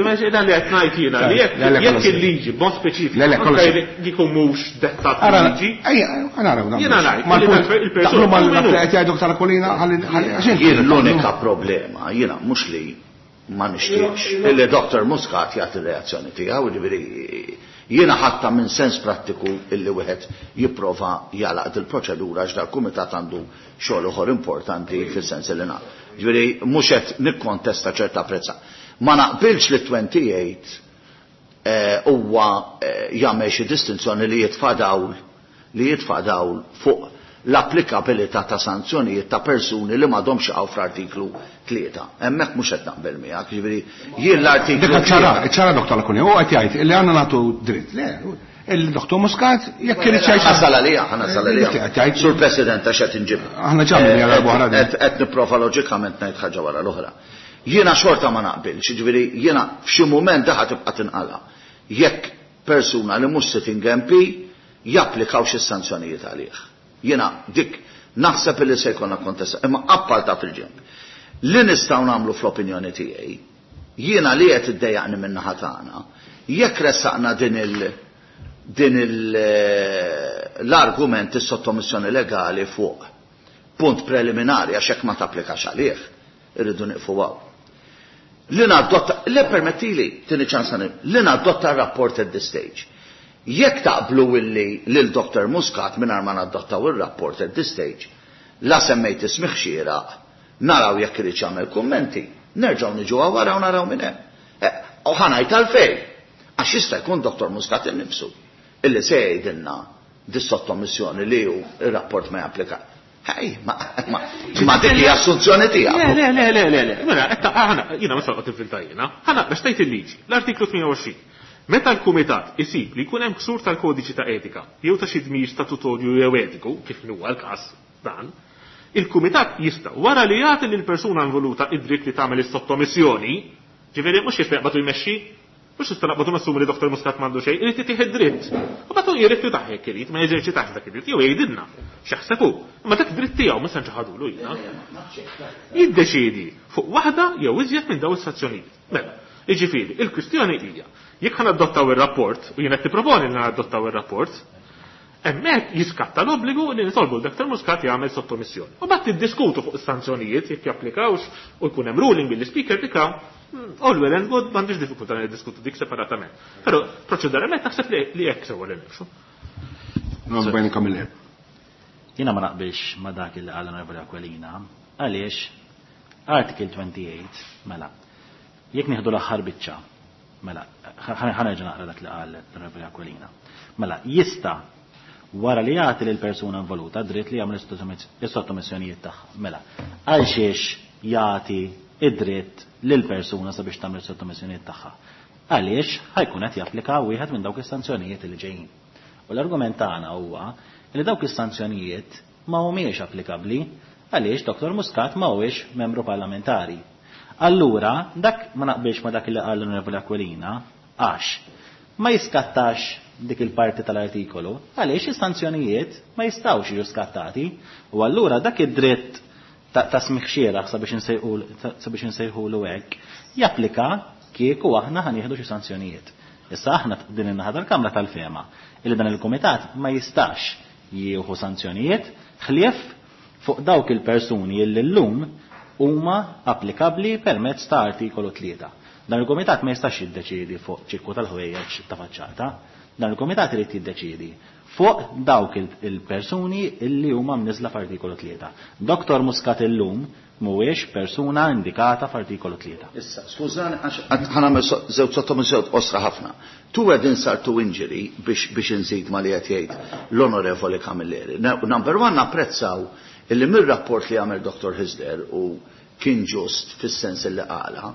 Ma xejn dan li qed ngħid jiena li jekk Le, le, jekk kollox. il-liġi b'mod speċifiku Le, le, kollox. anke jkun mhux dettat Ara, liġi. ejja, naraw dan. Jiena ngħid, Ma li l-punt, dak il-persuna taqblu mal- hu minnu. qed jgħidu Doktor Aquilina, ħalli ħalli għax inti Jien l-unika problema, jiena mhux li ma nixtieqx illi Doktor Muscat jagħti r-reazzjoni tiegħu, jiġifieri jiena ħatta minn sens prattiku illi wieħed jipprova jalaq dil-proċedura għax dal-kumitat għandu xogħol ieħor importanti fis-sens li nagħmel. Jiġifieri mhux qed nikkontesta ċerta prezza. Ma naqbilx li twenty-eight, eh, huwa, eh, jagħmel xi distinzjoni li jitfa' dawl, li jitfa' dawl fuq l-applikabilità ta' sanzjonijiet ta' persuni li m'għadhomx jaqgħu fl-artiklu tlieta. Hemmhekk mhux qed naqbel miegħek, jiġifieri jien l-artiklu Dik ċara, tlieta. ċara Doktor Aquilina, huwa qed jgħid li għandna nagħtu dritt. Le, il-Doktor Muscat jekk irid xi Nasal għalija, ħa nasal għalija. Qed jgħid. Sur President, għax qed inġib. Aħna ġamil Eh, għal darba oħra din. Qed qed nipprova loġikament ngħid ħaġa wara l-oħra. Jiena xorta ma naqbilx, jiġifieri jiena f'xi mument daħ tibqa' tinqala. Jekk persuna li mhux sitting M P japplikaw xi sanzjonijiet għalih. Jiena dik naħseb li se jkollna kontesta, imma apparta fil-ġenb. Li nistgħu nagħmlu fl-opinjoni tiegħi, jiena li qed iddejjaqni min-naħa tagħna, jekk ressaqna din il din il l-argument is-sottomissjoni legali fuq punt preliminari għax hekk ma tapplikax għalih, irridu nieqfu hawn. Li nadotta, le permettili, tini ċans għani, li nadotta r-rapport at this stage. Jekk taqblu illi lil Doktor Muscat mingħajr ma nadottaw ir-rapport at this stage, la semmejt ismih xieraq, naraw jekk irid jagħmel kummenti, nerġgħu niġu wara u naraw minn hemm. Eh, u ħa ngħid għalfejn, għax jista' jkun Doktor Muscat innifsu illi se jgħidilna dis-sottomissjoni li hu ir-rapport ma japplika. Ej, ma, ma, ma dik hija assunzjoni tiegħek. Le, le, le, le, le, le. Mela, qed ta' aħna, jiena ma saqgħod infilta jiena. Ħana biex tgħid il-liġi, l-artiklu tmienja u għoxrin. Meta l-kumitat isib li jkun hemm ksur tal-kodiċi ta' etika jew ta' xi dmir statutorju jew etiku, kif huwa l-każ dan, Il-kumitat jista' wara li jagħti lil persuna involuta id-dritt li tagħmel is-sottomissjoni, ġifieri mhux jista' jaqbadu jmexxi, mhux jista' naqbadu nassumi li Doktor Muscat m'għandu xejn, irid itih id-dritt. U bagħad hu jirrifjutah jekk irid, ma jeżerċitax dak id-dritt, jew jgħidilna x'jaħseb hu. Imma dak dritt tiegħu mhux se nċaħadulu jiena. Jiddeċiedi fuq waħda jew iżjed minn dawn is-sanzjonijiet. Mela, jiġifieri, il-kwistjoni hija, jekk ħa nadottaw ir-rapport, u jien qed nipproponi li nadottaw ir-rapport, hemmhekk jiskatta l-obbligu li nitolbu l-Doktor Muscat jagħmel sottomissjoni. U mbagħad tiddiskutu fuq is-sanzjonijiet jekk japplikawx u jkun hemm ruling billi speaker dika, all well and good, m'għandix diffikultà li niddiskutu dik separatament. Però proċeduralment naħseb li, li hekk sewwa li nimxu. Non bajni Camilleri. Jiena ma naqbilx ma dak li qal l-Onorevoli Aquilina, għaliex Article twenty-eight, mela, jekk nieħdu l-aħħar biċċa, mela, ħa nerġa' naqra dak li qal l-Onorevoli Aquilina. Mela, jista' wara li jagħti lil persuna involuta dritt li jagħmel is-sottomissjonijiet tagħha. Mela, għal xiex jagħti id-dritt lil persuna sabiex tagħmel is-sottomissjonijiet tagħha? Għaliex ħajkun qed japplika wieħed minn dawk is-sanzjonijiet li ġejjin. U l-argument tagħna huwa li dawk is-sanzjonijiet ma humiex applikabbli għaliex Doktor Muscat ma huwiex membru parlamentari. Allura, dak ma naqbilx ma dak li qal l-Onorevoli Aquilina, għax ma jiskattax dik il-parti tal-artikolu, għaliex is-sanzjonijiet ma jistgħux jiġu skattati, u allura dak id-dritt ta', ta' smigħ xieraq sabiex insejħu, sabiex insejħulu hekk, japplika kieku aħna ħanieħdu xi sanzjonijiet. Issa aħna din in-naħa tal-Kamra tal-Fema illi dan il-Kumitat ma jistax jieħu sanzjonijiet ħlief fuq dawk il-persuni illi llum huma applikabbli permezz ta' artikolu tlieta. Dan il-Kumitat ma jistax jiddeċiedi fuq ċirku tal-ħwejjeġ ta' faċċata. Dan il-Kumitat irid jiddeċiedi fuq dawk il-, il-persuni illi huma mniżla f'artikolu tlieta. Doktor Muscat illum mhuwiex persuna indikata f'artikolu tlieta. Issa, skużani, għax ħa nagħmel so-, żewġ sottomissjonijiet qosra ħafna. Tu qed insar to injury biex, biex inżid ma li qed jgħid l-Onorevoli Camilleri. Na-, number one, napprezzaw illi mir-rapport li għamel Doktor Hyzler u kien ġust fis-sens li qala,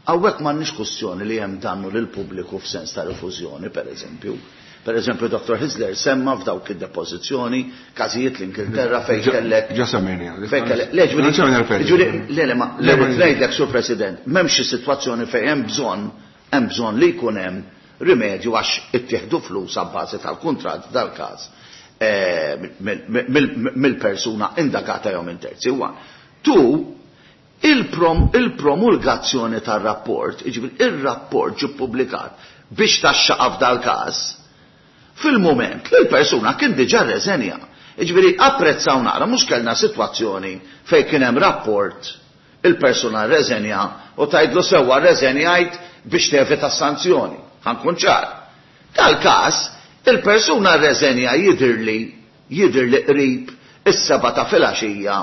hawnhekk m'għandniex kwestjoni li hemm dannu lil pubbliku f'sens ta' rifużjoni, per eżempju. Per eżempju, Doktor Hyzler semma f'dawk id-depożizzjoni każijiet l-Ingilterra fejn Ġa- kellek Ġa semmejni, għalli. Fejn kellek, le, ġifieri, Non c'è un riferimento. ġifieri, le, le, ma, le, Le, ma- ngħidlek, Sur President, m'hemmx xi sitwazzjoni fejn hemm bżonn, hemm bżonn li jkun hemm rimedju għax ittieħdu flus abbażi tal-kuntratt dal-każ, eh, mill-, mill-, mill-persuna indagata jew minn terzi. One. Two, il-prom-, il-promulgazzjoni tar-rapport, jiġifieri ir-rapport ġie ppubblikat biex taxxaqa f'dal-każ, fil-moment li l-persuna kien diġà rreżenja. Jiġifieri apprezzaw naqra, mhux kellna sitwazzjoni fejn kien hemm rapport, il-persuna rreżenja u tgħidlu sewwa rreżenjajt biex tevita sanzjoni. Ħa nkun ċar. Tal-każ, il-persuna rreżenja jidhirli, jidhirli qrib is-seba' ta' filgħaxija,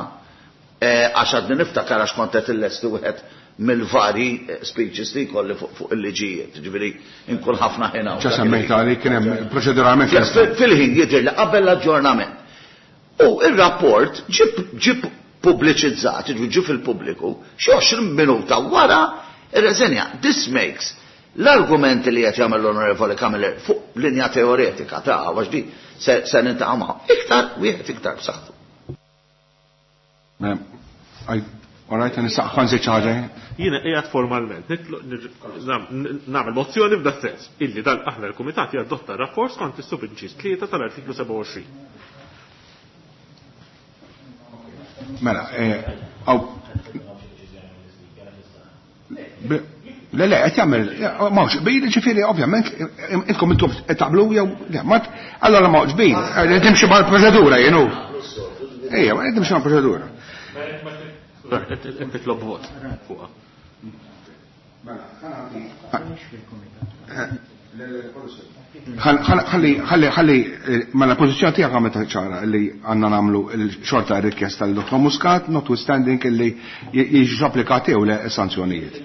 eh, għax għadni niftakar għax kont qed illesti wieħed mill-vari, eh, speeches li jkolli fuq, fuq il-liġijiet, ġifieri inkun ħafna ħin hawn. Ġa semmejta li kien hemm proċeduralment Fil-, lesta. Fil-ħin jidher li qabel l-aġġornament. U ir-rapport ġib, ġib pubbliċizzat, ġifieri ġie fil-pubbliku, xi għoxrin minuta wara ir-reżenja. This makes l-argumenti li qed jagħmel l-Onorevoli Camilleri fuq linja teoretika ta' għax di se, se nintaqa' magħhom. Iktar wieħed iktar b'saħħtu. Mela, għaj, all right, nista' ħa nżid xi ħaġa jien? Jiena qiegħed formalment nitlob nir-, nam-, nagħmel mozzjoni f'da sens illi dan aħna l-Kumitat jadotta rapport skont is-subinċis tlieta tal-artiklu sebgħa u għoxrin. Mela, eh, għaw, be-, le, le, qed jagħmel, m'hawnx qbil, ġifieri ovvjament intkom intom qed taqblu jew le, ma t-, allora m'hawnx qbil, qed timxi mal-proċedura jien hu. Ejja, ma qed timxi mal-proċedura. Qed titlob vot fuqha. Ħalli, ħalli, ħalli, mela l-pożizzjoni tiegħek għamlet ċara li għandna nagħmlu l-xorta rikjesta lil Dottor Muscat, notwithstanding illi jiġu applikati jew le sanzjonijiet.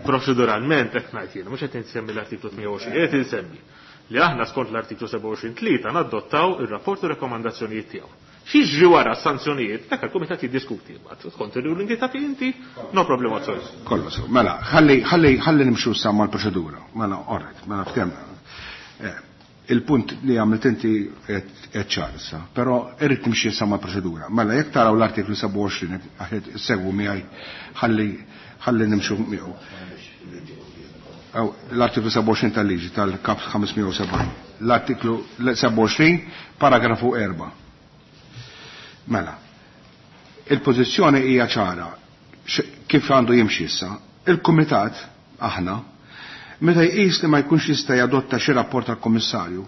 Proċeduralment qed ngħid jiena, mhux qed insemmi l-artiklu tmien u għoxrin, qed insemmi li aħna skont l-artiklu sebgħa u għoxrin tlieta nadottaw ir-rapport u rekomandazzjonijiet tiegħu. X'jiġri wara s-sanzjonijiet, dak il-kumitat jiddiskuti, mbagħad skont ir-ruling li tagħti inti, no problem whatsoever. Kollu sew. Mela, ħalli, ħalli, ħalli nimxu sa mal-proċedura. Mela, all right, mela ftehmna. Eh, Il-punt li għamilt inti qed ċar issa, però irrid nimxi issa mal-proċedura. Mela jekk taraw l-artiklu sebgħa u għoxrin aħed segwu miegħi ħalli ħalli nimxu miegħu. L-artiklu sebgħa u għoxrin tal-liġi tal-Kap ħames mija u sebgħin. L-artiklu sebgħa u għoxrin paragrafu erba'. Mela, il-pożizzjoni hija ċara kif għandu jimxi issa. Il-Kumitat aħna meta jqis li ma jkunx jista' jadotta xi rapport tal-Kummissarju,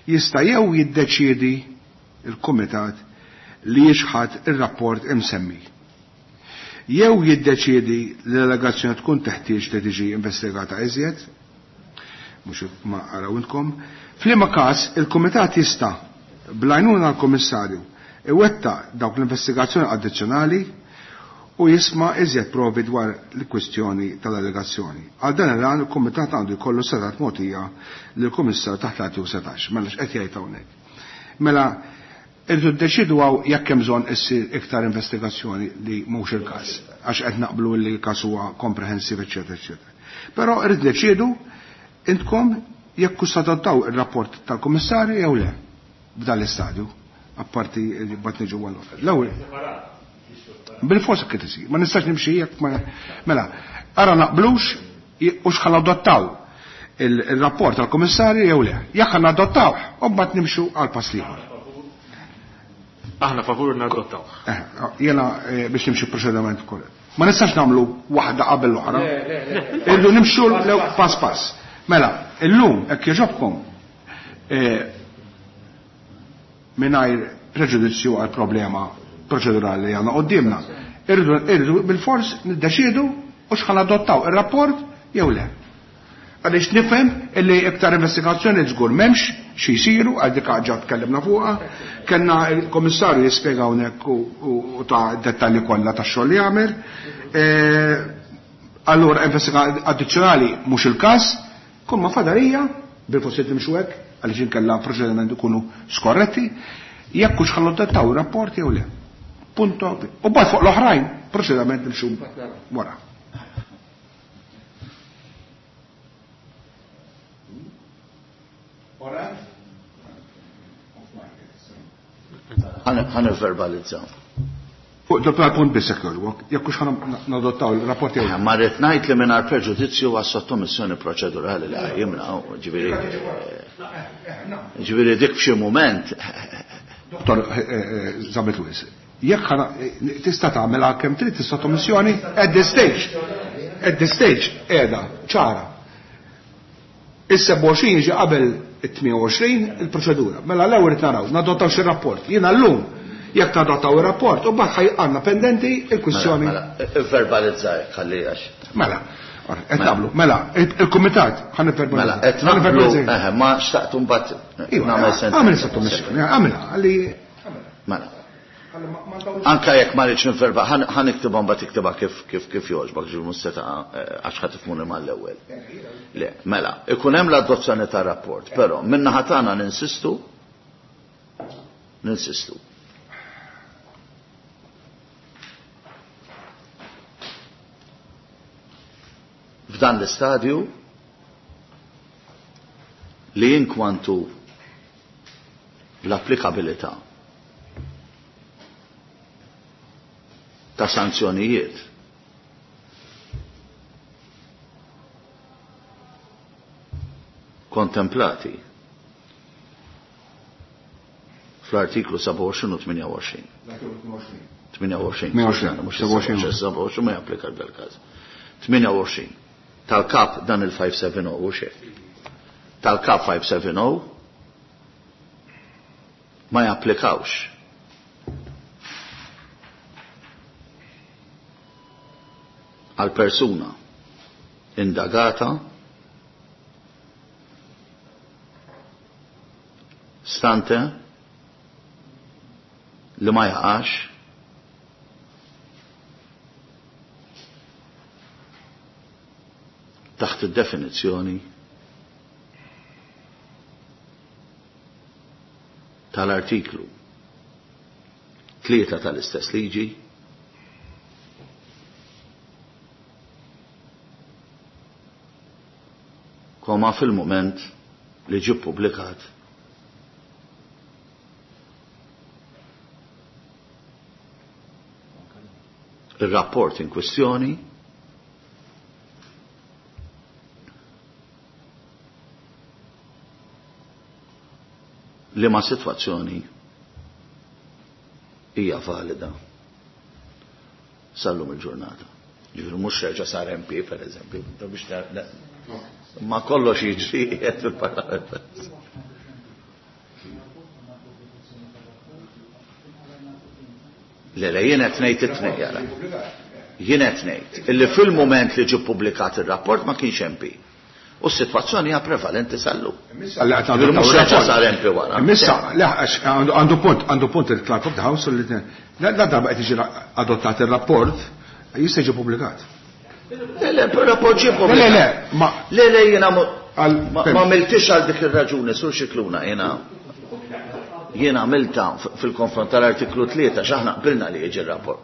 jista' jew jiddeċiedi il-Kumitat li jixħat ir-rapport imsemmi. Jew jiddeċiedi li l-allegazzjoni tkun teħtieġ li tiġi investigata iżjed, mhux ma araw intkom, f'liema każ il-Kumitat jista' bl-għajnuna l-Kummissarju iwetta dawk l-investigazzjoni addizzjonali u jisma' iżjed provi dwar l-kwistjoni tal-allegazzjoni. Għal dan il-għan il-Kumitat għandu jkollu setat mogħtija lill-Kummissarju taħt l-artiklu setax. Mela x'qed jgħid hawnhekk. Mela irridu ddeċidu hawn jekk hemm bżonn issir iktar investigazzjoni li mhux il-każ, għax qed naqblu li l-każ huwa komprehensiv, eċċetera, eċċetera. Però irrid deċidu intkom jekk hux adottaw ir-rapport tal-Kummissarju jew le f'dan l-istadju, apparti bat niġu għall-oħra. L-ewwel bil-forsa kif isir, ma nistax nimxi jekk ma mela, ara naqblux u x'ħan adottaw il-rapport tal-Kummissarju jew le. Jekk ħan adottaw, u mbagħad nimxu għal pass ieħor. Aħna favur nadottaw. Jiena biex nimxu proċediment korrett. Ma nistax nagħmlu waħda qabel l-oħra. Irridu nimxu pass pass. Mela, illum hekk jogħġobkom mingħajr preġudizzju għal problema proċedurali li għandna qudiemna. Irridu irridu bil-fors niddeċiedu u x'ħan adottaw ir-rapport jew le. Għaliex nifhem illi iktar investigazzjoni żgur m'hemmx xi jsiru għal dik ħaġa tkellimna fuqha, kellna l-Kummissarju jispjega hawnhekk u ta' dettalji kollha tax-xogħol li jagħmel. Allura investigazzjoni addizzjonali mhux il-każ, kull ma fadarija bil-forsi nimxu hekk għaliex inkella proċedimenti ikunu skorretti, jekk hux ħallu adottaw ir-rapport jew le. Punto. U bad fuq l-oħrajn, proċedament nimxu wara. Ħan verbalizzaw. Fuq dal punt biss jekk jogħġbok, jekk hux ħan nadottaw il-rapport jew. Ma rrid ngħid li mingħajr preġudizzju għas-sottomissjoni proċedurali li qajjimna, ġifieri ġifieri dik f'xi mument. Dottor Zammit Lewis, jekk ħana tista' tagħmilha kemm trid is-sottomissjoni at this stage. At this stage qiegħda ċara. Is-sebgħa u għoxrin jiġi qabel it-tmien u għoxrin il-proċedura. Mela l-ewwel irid naraw, nadottaw xi rapport. Jiena llum jekk nadottaw ir-rapport u mbagħad għandna pendenti il-kwistjoni. Mela, verbalizza hekk ħalli għax. Mela, qed nagħmlu. Mela, il-kumitat ħa nivverbalizza. Mela, qed nagħmlu, eħe, ma xtaqtu mbagħad nagħmel sentenza. Għamel sottomissjoni, għamilha ħalli. Mela. Anka jekk ma rridx nivverba, ħa niktibha mbagħad iktibha kif kif kif jogħġbok, ġifieri mhux se taqa' għax ħa tifhmuni mal-ewwel. Le, mela, ikun hemm l-adozzjoni tar-rapport, però min-naħa tagħna ninsistu ninsistu. F'dan l-istadju li inkwantu l-applikabilità ta' sanzjonijiet kontemplati fl-artiklu sebgħa u għoxrin u tmienja u għoxrin. tmienja u għoxrin. tmienja u għoxrin. sebgħa u għoxrin ma japplika dal-każ. tmienja u għoxrin. Tal-kap dan il-five seven oh u xejn. Tal-kap five seven oh ma japplikawx. Għal persuna indagata stante li ma jaqax taħt id-definizzjoni tal-artiklu tlieta tal-istess liġi koma fil-moment li ġie ppubblikat il-rapport in kwestjoni li ma sitwazzjoni hija valida sal-lum il-ġurnata. Ġifieri mhux reġa' sar M P pereżempju, biex ma kollox jiġri qiegħed fil-Parlament. Le, le, jien qed ngħid it-tnejn jara. Jien qed ngħid illi fil-mument li ġie ppubblikat ir-rapport ma kienx M P. U s-sitwazzjoni hija prevalenti sal-lum. Mhux reġa' sar M P wara. Issa, le, għandu punt, għandu punt il-Clerk of the House li la darba qed jiġi adottat ir-rapport jista' jiġi ppubblikat. Le, le, rapport ġie ppubblikat. Le, le, ma Le, le, jiena ma għamiltix għal dik ir-raġuni, sur Scicluna, jiena jiena għamilta fil-konfront tal-artiklu tlieta x'aħna qbilna li jiġi r-rapport.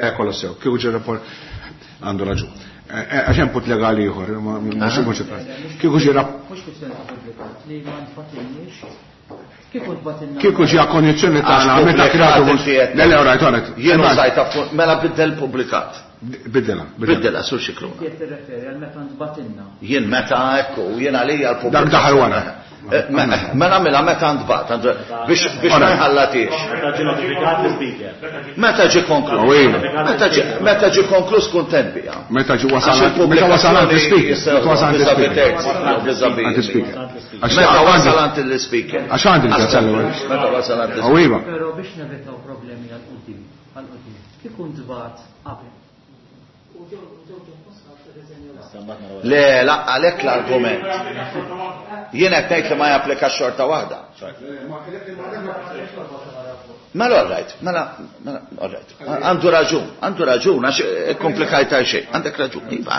Le, kollu sew, kieku ġie rapport għandu raġun. Għax hemm punt legali ieħor, mhux mhux kieku ġie rapport. Mhux kwistjoni ta' pubblikat li ma nfatilniex. Kieku tbatilna. Kieku ġie kondizzjoni tagħna meta kreatu. Le, le, rajt, rajt. Jien użajta mela biddel pubblikat. Biddela, biddela, sur Scicluna. Qed tirreferi għal meta ntbatilna. Jien meta ekku, jien għalija l-pubblikat. Dak daħal wara. Mela mela meta ntbat, biex biex ma jħallatix. Meta ġie notifikat l-speaker. Meta ġie konkluż. Meta ġie meta ġie konkluż kuntent biha. Meta ġie wasal meta wasal għand l-speaker. Meta wasal għand l-speaker. Meta wasal għand l-speaker. Għax għandi l-ewwel. Meta wasal għand l-speaker. Però biex nevitaw problemi għal quddiem, għal quddiem. Kieku ntbat qabel. Le, la, għalhekk l-argument. Jien qed ngħid li ma japplika xorta waħda. Mela all right, mela, mela all right. Għandu raġun, għandu raġun, għax komplikajta xejn. Għandek raġun, iva,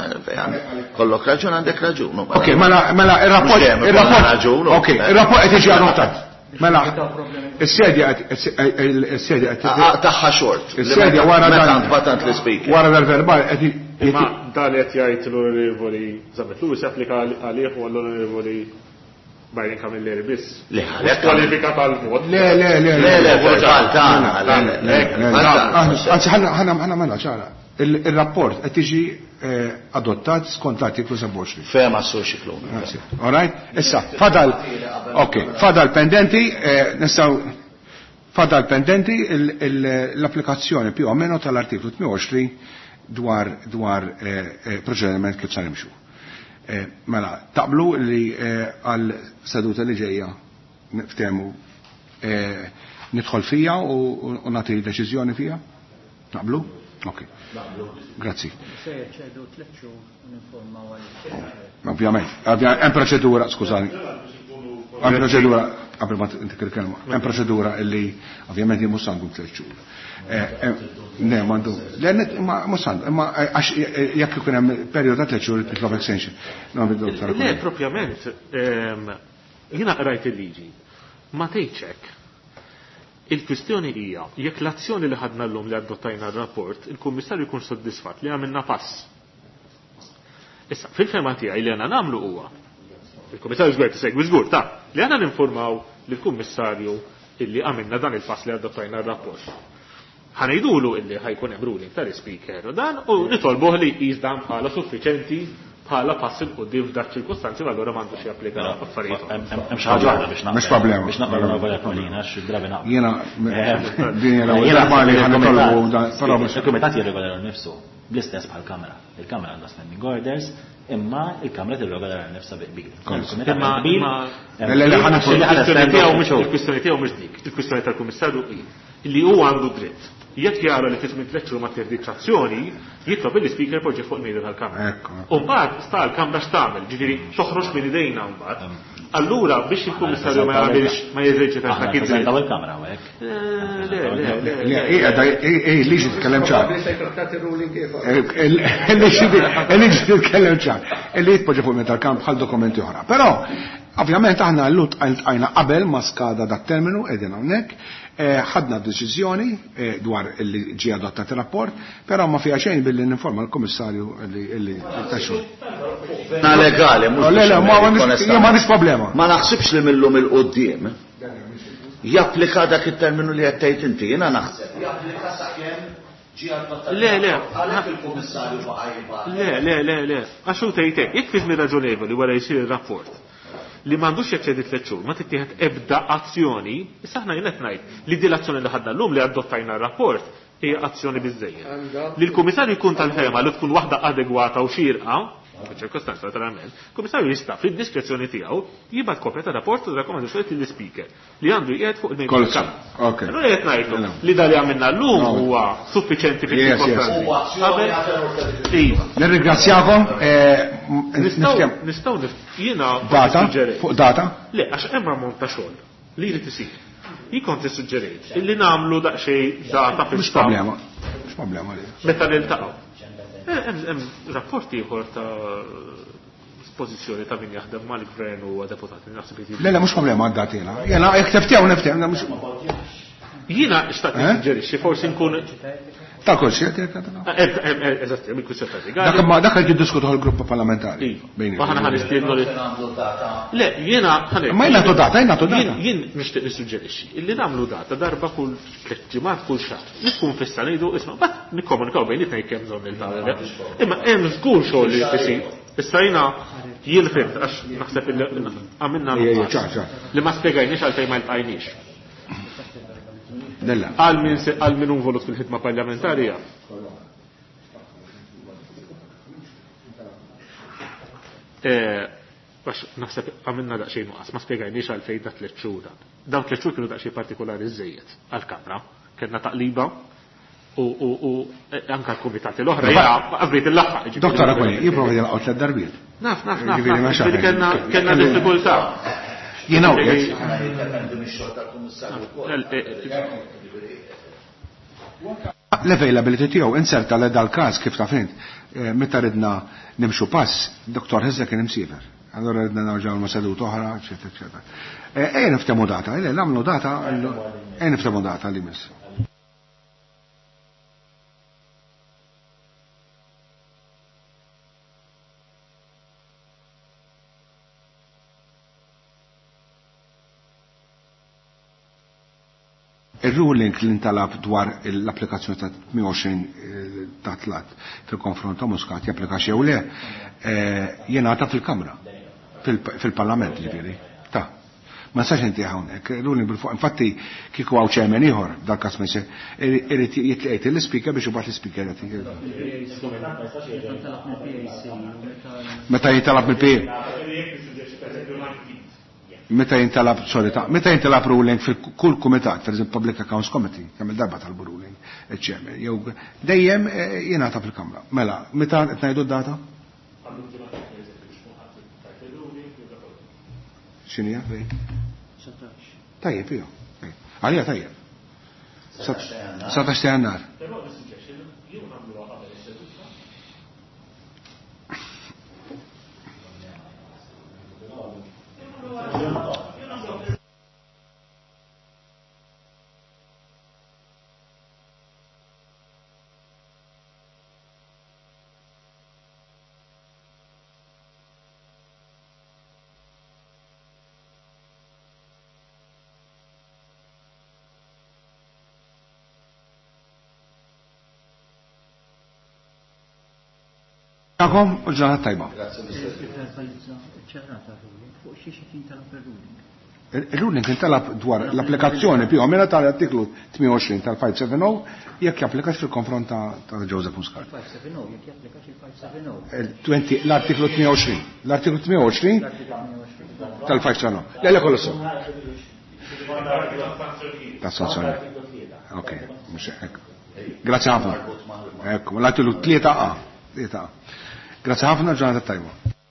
kollok raġun, għandek raġun. Ok, mela, mela, ir-rapport, ir-rapport, ok, ir-rapport qed jiġi adottat. Mela, is-sedja is-sedja qed tagħha xort. Is-sedja wara dan batant l-ispeaker. Wara dal-verbal qed Imma dan qed jgħid l-Onorevoli Zammit Lewis japplika għalih u għall-Onorevoli Byron Camilleri biss. Le, għalhekk kwalifika tal-vot. Le, le, le, le, le, verbal tagħna. Anzi, ħana ħana ħana mela ċara. Il-rapport qed tiġi adottat skont l-artiklu sebgħa u għoxrin. Fema sur Scicluna. All right? Issa, fadal, ok, fadal pendenti, nistgħu fadal pendenti l-applikazzjoni più o meno tal-artiklu tmien u għoxrin dwar dwar proċediment kif sa nimxu. Mela, taqblu li għal seduta li ġejja niftehmu nidħol fija u nagħti deċiżjoni fija? Naqblu? Ok. Grazzi. Se jaċċedu tliet xhur u ninformaw għal. Ovvjament, hemm proċedura, skużani. Hemm proċedura, qabel ma intik il-kelma, hemm proċedura illi ovvjament jien mhux għandu tliet xhur. Ne, m'għandu. Le, ma mhux għandu, imma għax jekk ikun hemm perjodu ta' tliet xhur titlob extension. Le, propjament, jiena qrajt il-liġi. Ma tgħidx hekk. Il-kwistjoni hija jekk l-azzjoni li ħadna llum li adottajna r-rapport, il-Kummissarju jkun soddisfatt li għamilna pass. Issa, fil-fema tiegħi li għandna nagħmlu huwa il-Kummissarju żgur tisegwi żgur ta' li għandna ninformaw lill-Kummissarju illi għamilna dan il-pass li adottajna r-rapport. Ħanejdulu illi ħajkun hemm ruling tal-ispeaker u dan u nitolbuh li jqis dan bħala suffiċenti bħala pass il quddiem f'dak ċirkustanzi, ma allura m'għandux japplika affarijiet. Hemm xi ħaġa waħda biex naqbel. Mhux problema. Biex naqbel ma' Paulina għax drabi naqbel. Jiena din hija l-ewwel darba li ħanitolbu dan, però mhux. Il-kumitat jirregola nnifsu bl-istess bħall-Kamra. Il-Kamra għandha standing orders, imma il-Kamra tirregola nnifsha bi qbil. Imma imma Le, le, le, ħana il-kwistjoni tiegħu mhux il-kwistjoni tiegħu mhux dik. Il-kwistjoni tal-Kummissarju hi li hu għandu dritt. Jekk jara li fi żmien tliet xhur ma tieħditx azzjoni, jitlob il-ispeaker poġġi fuq il-mejda tal-Kamra. Ekku. U mbagħad sta l-Kamra x'tagħmel, ġifieri toħroġ minn idejna mbagħad. Allura biex il-Kummissarju ma jagħmilx ma jeżerċitax dak id-dritt. Aħna il-Kamra hawnhekk. Le, le, le, le, hija hi liġi titkellem ċar. Il-liġi titkellem ċar. Illi jitpoġġa fuq il-mejda tal-Kamra bħal dokumenti oħra. Però Ovvjament aħna llum tqajna qabel ma skada dat terminu qegħdin hawnhekk, ħadna deċiżjoni dwar li ġie adottat ir-rapport, però ma fiha xejn billi ninforma l-Kummissarju li taxxu. Na legali, mhux. Le, le, ma m'għandix problema. Ma naħsibx li millum il-qudiem japplika dak it-terminu li qed tgħid inti, jiena naħseb. Japplika sakemm ġie adottat. Le, le. Għalhekk il-Kummissarju baqa' jibgħat. Le, le, le, le. Għax hu tgħid hekk, jekk fi żmien raġonevoli wara jsir ir-rapport li m'għandux jeċċedi tliet xhur, ma tittieħed ebda azzjoni, issa aħna jien qed ngħid li din l-azzjoni li ħadna llum li adottajna r-rapport hija azzjoni biżżejjed. Li l-Kummissarju jkun tal-fehma li tkun waħda adegwata u xierqa, f'ċirkostanza naturalment, il-Kummissarju jista' fid-diskrezzjoni tiegħu jibgħat kopja ta' rapport u rakkomandazzjoni lill-Speaker li għandu jqiegħed fuq il-mejda tal-Kamra. Allura qed ngħidlu li dan li għamilna llum huwa suffiċenti fil-ċirkostanzi. Nirringrazzjakom. Nistgħu jiena data fuq data? Le, għax hemm ammont ta' xogħol li jrid isir. Jien kont issuġġerejt illi nagħmlu daqsxejn data fis. Mhux problema. Mhux problema li. Meta niltaqgħu. Hemm rapport ieħor ta' pożizzjoni ta' min jaħdem mal-gvern u deputati naħseb li. Le, le, mhux problema għad-data jiena. Jiena jekk tiftew niftew, mhux. Jiena xtaqt nissuġġerixxi forsi nkun ta' kull xi qed Eżatt, hemm il-kwistjoni ta' Dak ma dak qed jiddiskutuh il-grupp parlamentari. Aħna ħa nistiednu li. Le, jiena ħa Ma jien nagħtu data, jien nagħtu data. Jien nixtieq nissuġġerixxi illi nagħmlu data darba kull tliet ġimgħat kull xahar. Li tkun fissa ngħidu isma' mbagħad nikkomunikaw bejnietna jekk hemm bżonn niltaqgħu. Imma hemm żgur xogħol li jsir. Issa jiena jien fimt għax naħseb illi għamilna li ma spjegajniex għalfejn ma ltqajniex. Għal min għal min involut fil-ħidma parlamentarja. Għax naħseb għamilna daqsxejn nuqqas, ma spjegajniex għalfejn da tliet xhur dan. Dawn tliet xhur kienu daqsxejn partikolari żejjed għall-Kamra. Kellna taqliba u u u anke l-kumitati l-oħra jiena qasbejt il-laħħaq. Doktor Aquilina, jipprova jilqgħu tliet darbiet. Naf, naf, naf. Kellna kellna diffikultà. Jiena l-availability tiegħu inserta l dal-każ kif taf int, meta ridna nimxu pass, Doktor Hezza kien imsiefer. Allora ridna nerġgħu ma' seduta oħra, eċetera, eċetera. Ejja niftehmu data, ejja nagħmlu data, ejja niftehmu data li miss. Il-ruling li ntalab dwar l-applikazzjoni ta' tmien u għoxrin ta' tlat fil-konfront ta' Muscat japplika xew le, jingħata fil-Kamra, fil-Parlament ġifieri. Ta' ma nistax inti hawnhekk, ruling bil-fuq. Infatti kieku hawn chairman ieħor dal-każ ma jsir, irid jitqiegħed l-ispeaker biex imbagħad l-ispeaker jagħti. Meta jintalab mill-P A. Meta jintalab, sorry, ta' meta jintalab ruling fil-kull kumitat, per eżempju Public Accounts Committee, kemm il-darba talbu ruling, il-chairman, jew dejjem jingħata fil-Kamra. Mela, meta qed ngħidu d-data? X'inhi hija? Tajjeb, iju. Għalija tajjeb. satax ta' Jannar. Għakom u ġurnata tajba. Il-ruling intalab dwar l-applikazzjoni più o meno tal-artiklu tmien u għoxrin tal-five seven oh jekk japplikax fil-konfront ta' Joseph Muscat. L-artiklu tmien u għoxrin. L-artiklu tmien u għoxrin tal-five seven oh. Le, le, kollu sew. Ta' sanzjoni. Ok, mhux hekk. Grazie ħafna. Ekku, l-artiklu tlieta A. Tlieta A. Grazie ħafna, ġurnata tajba.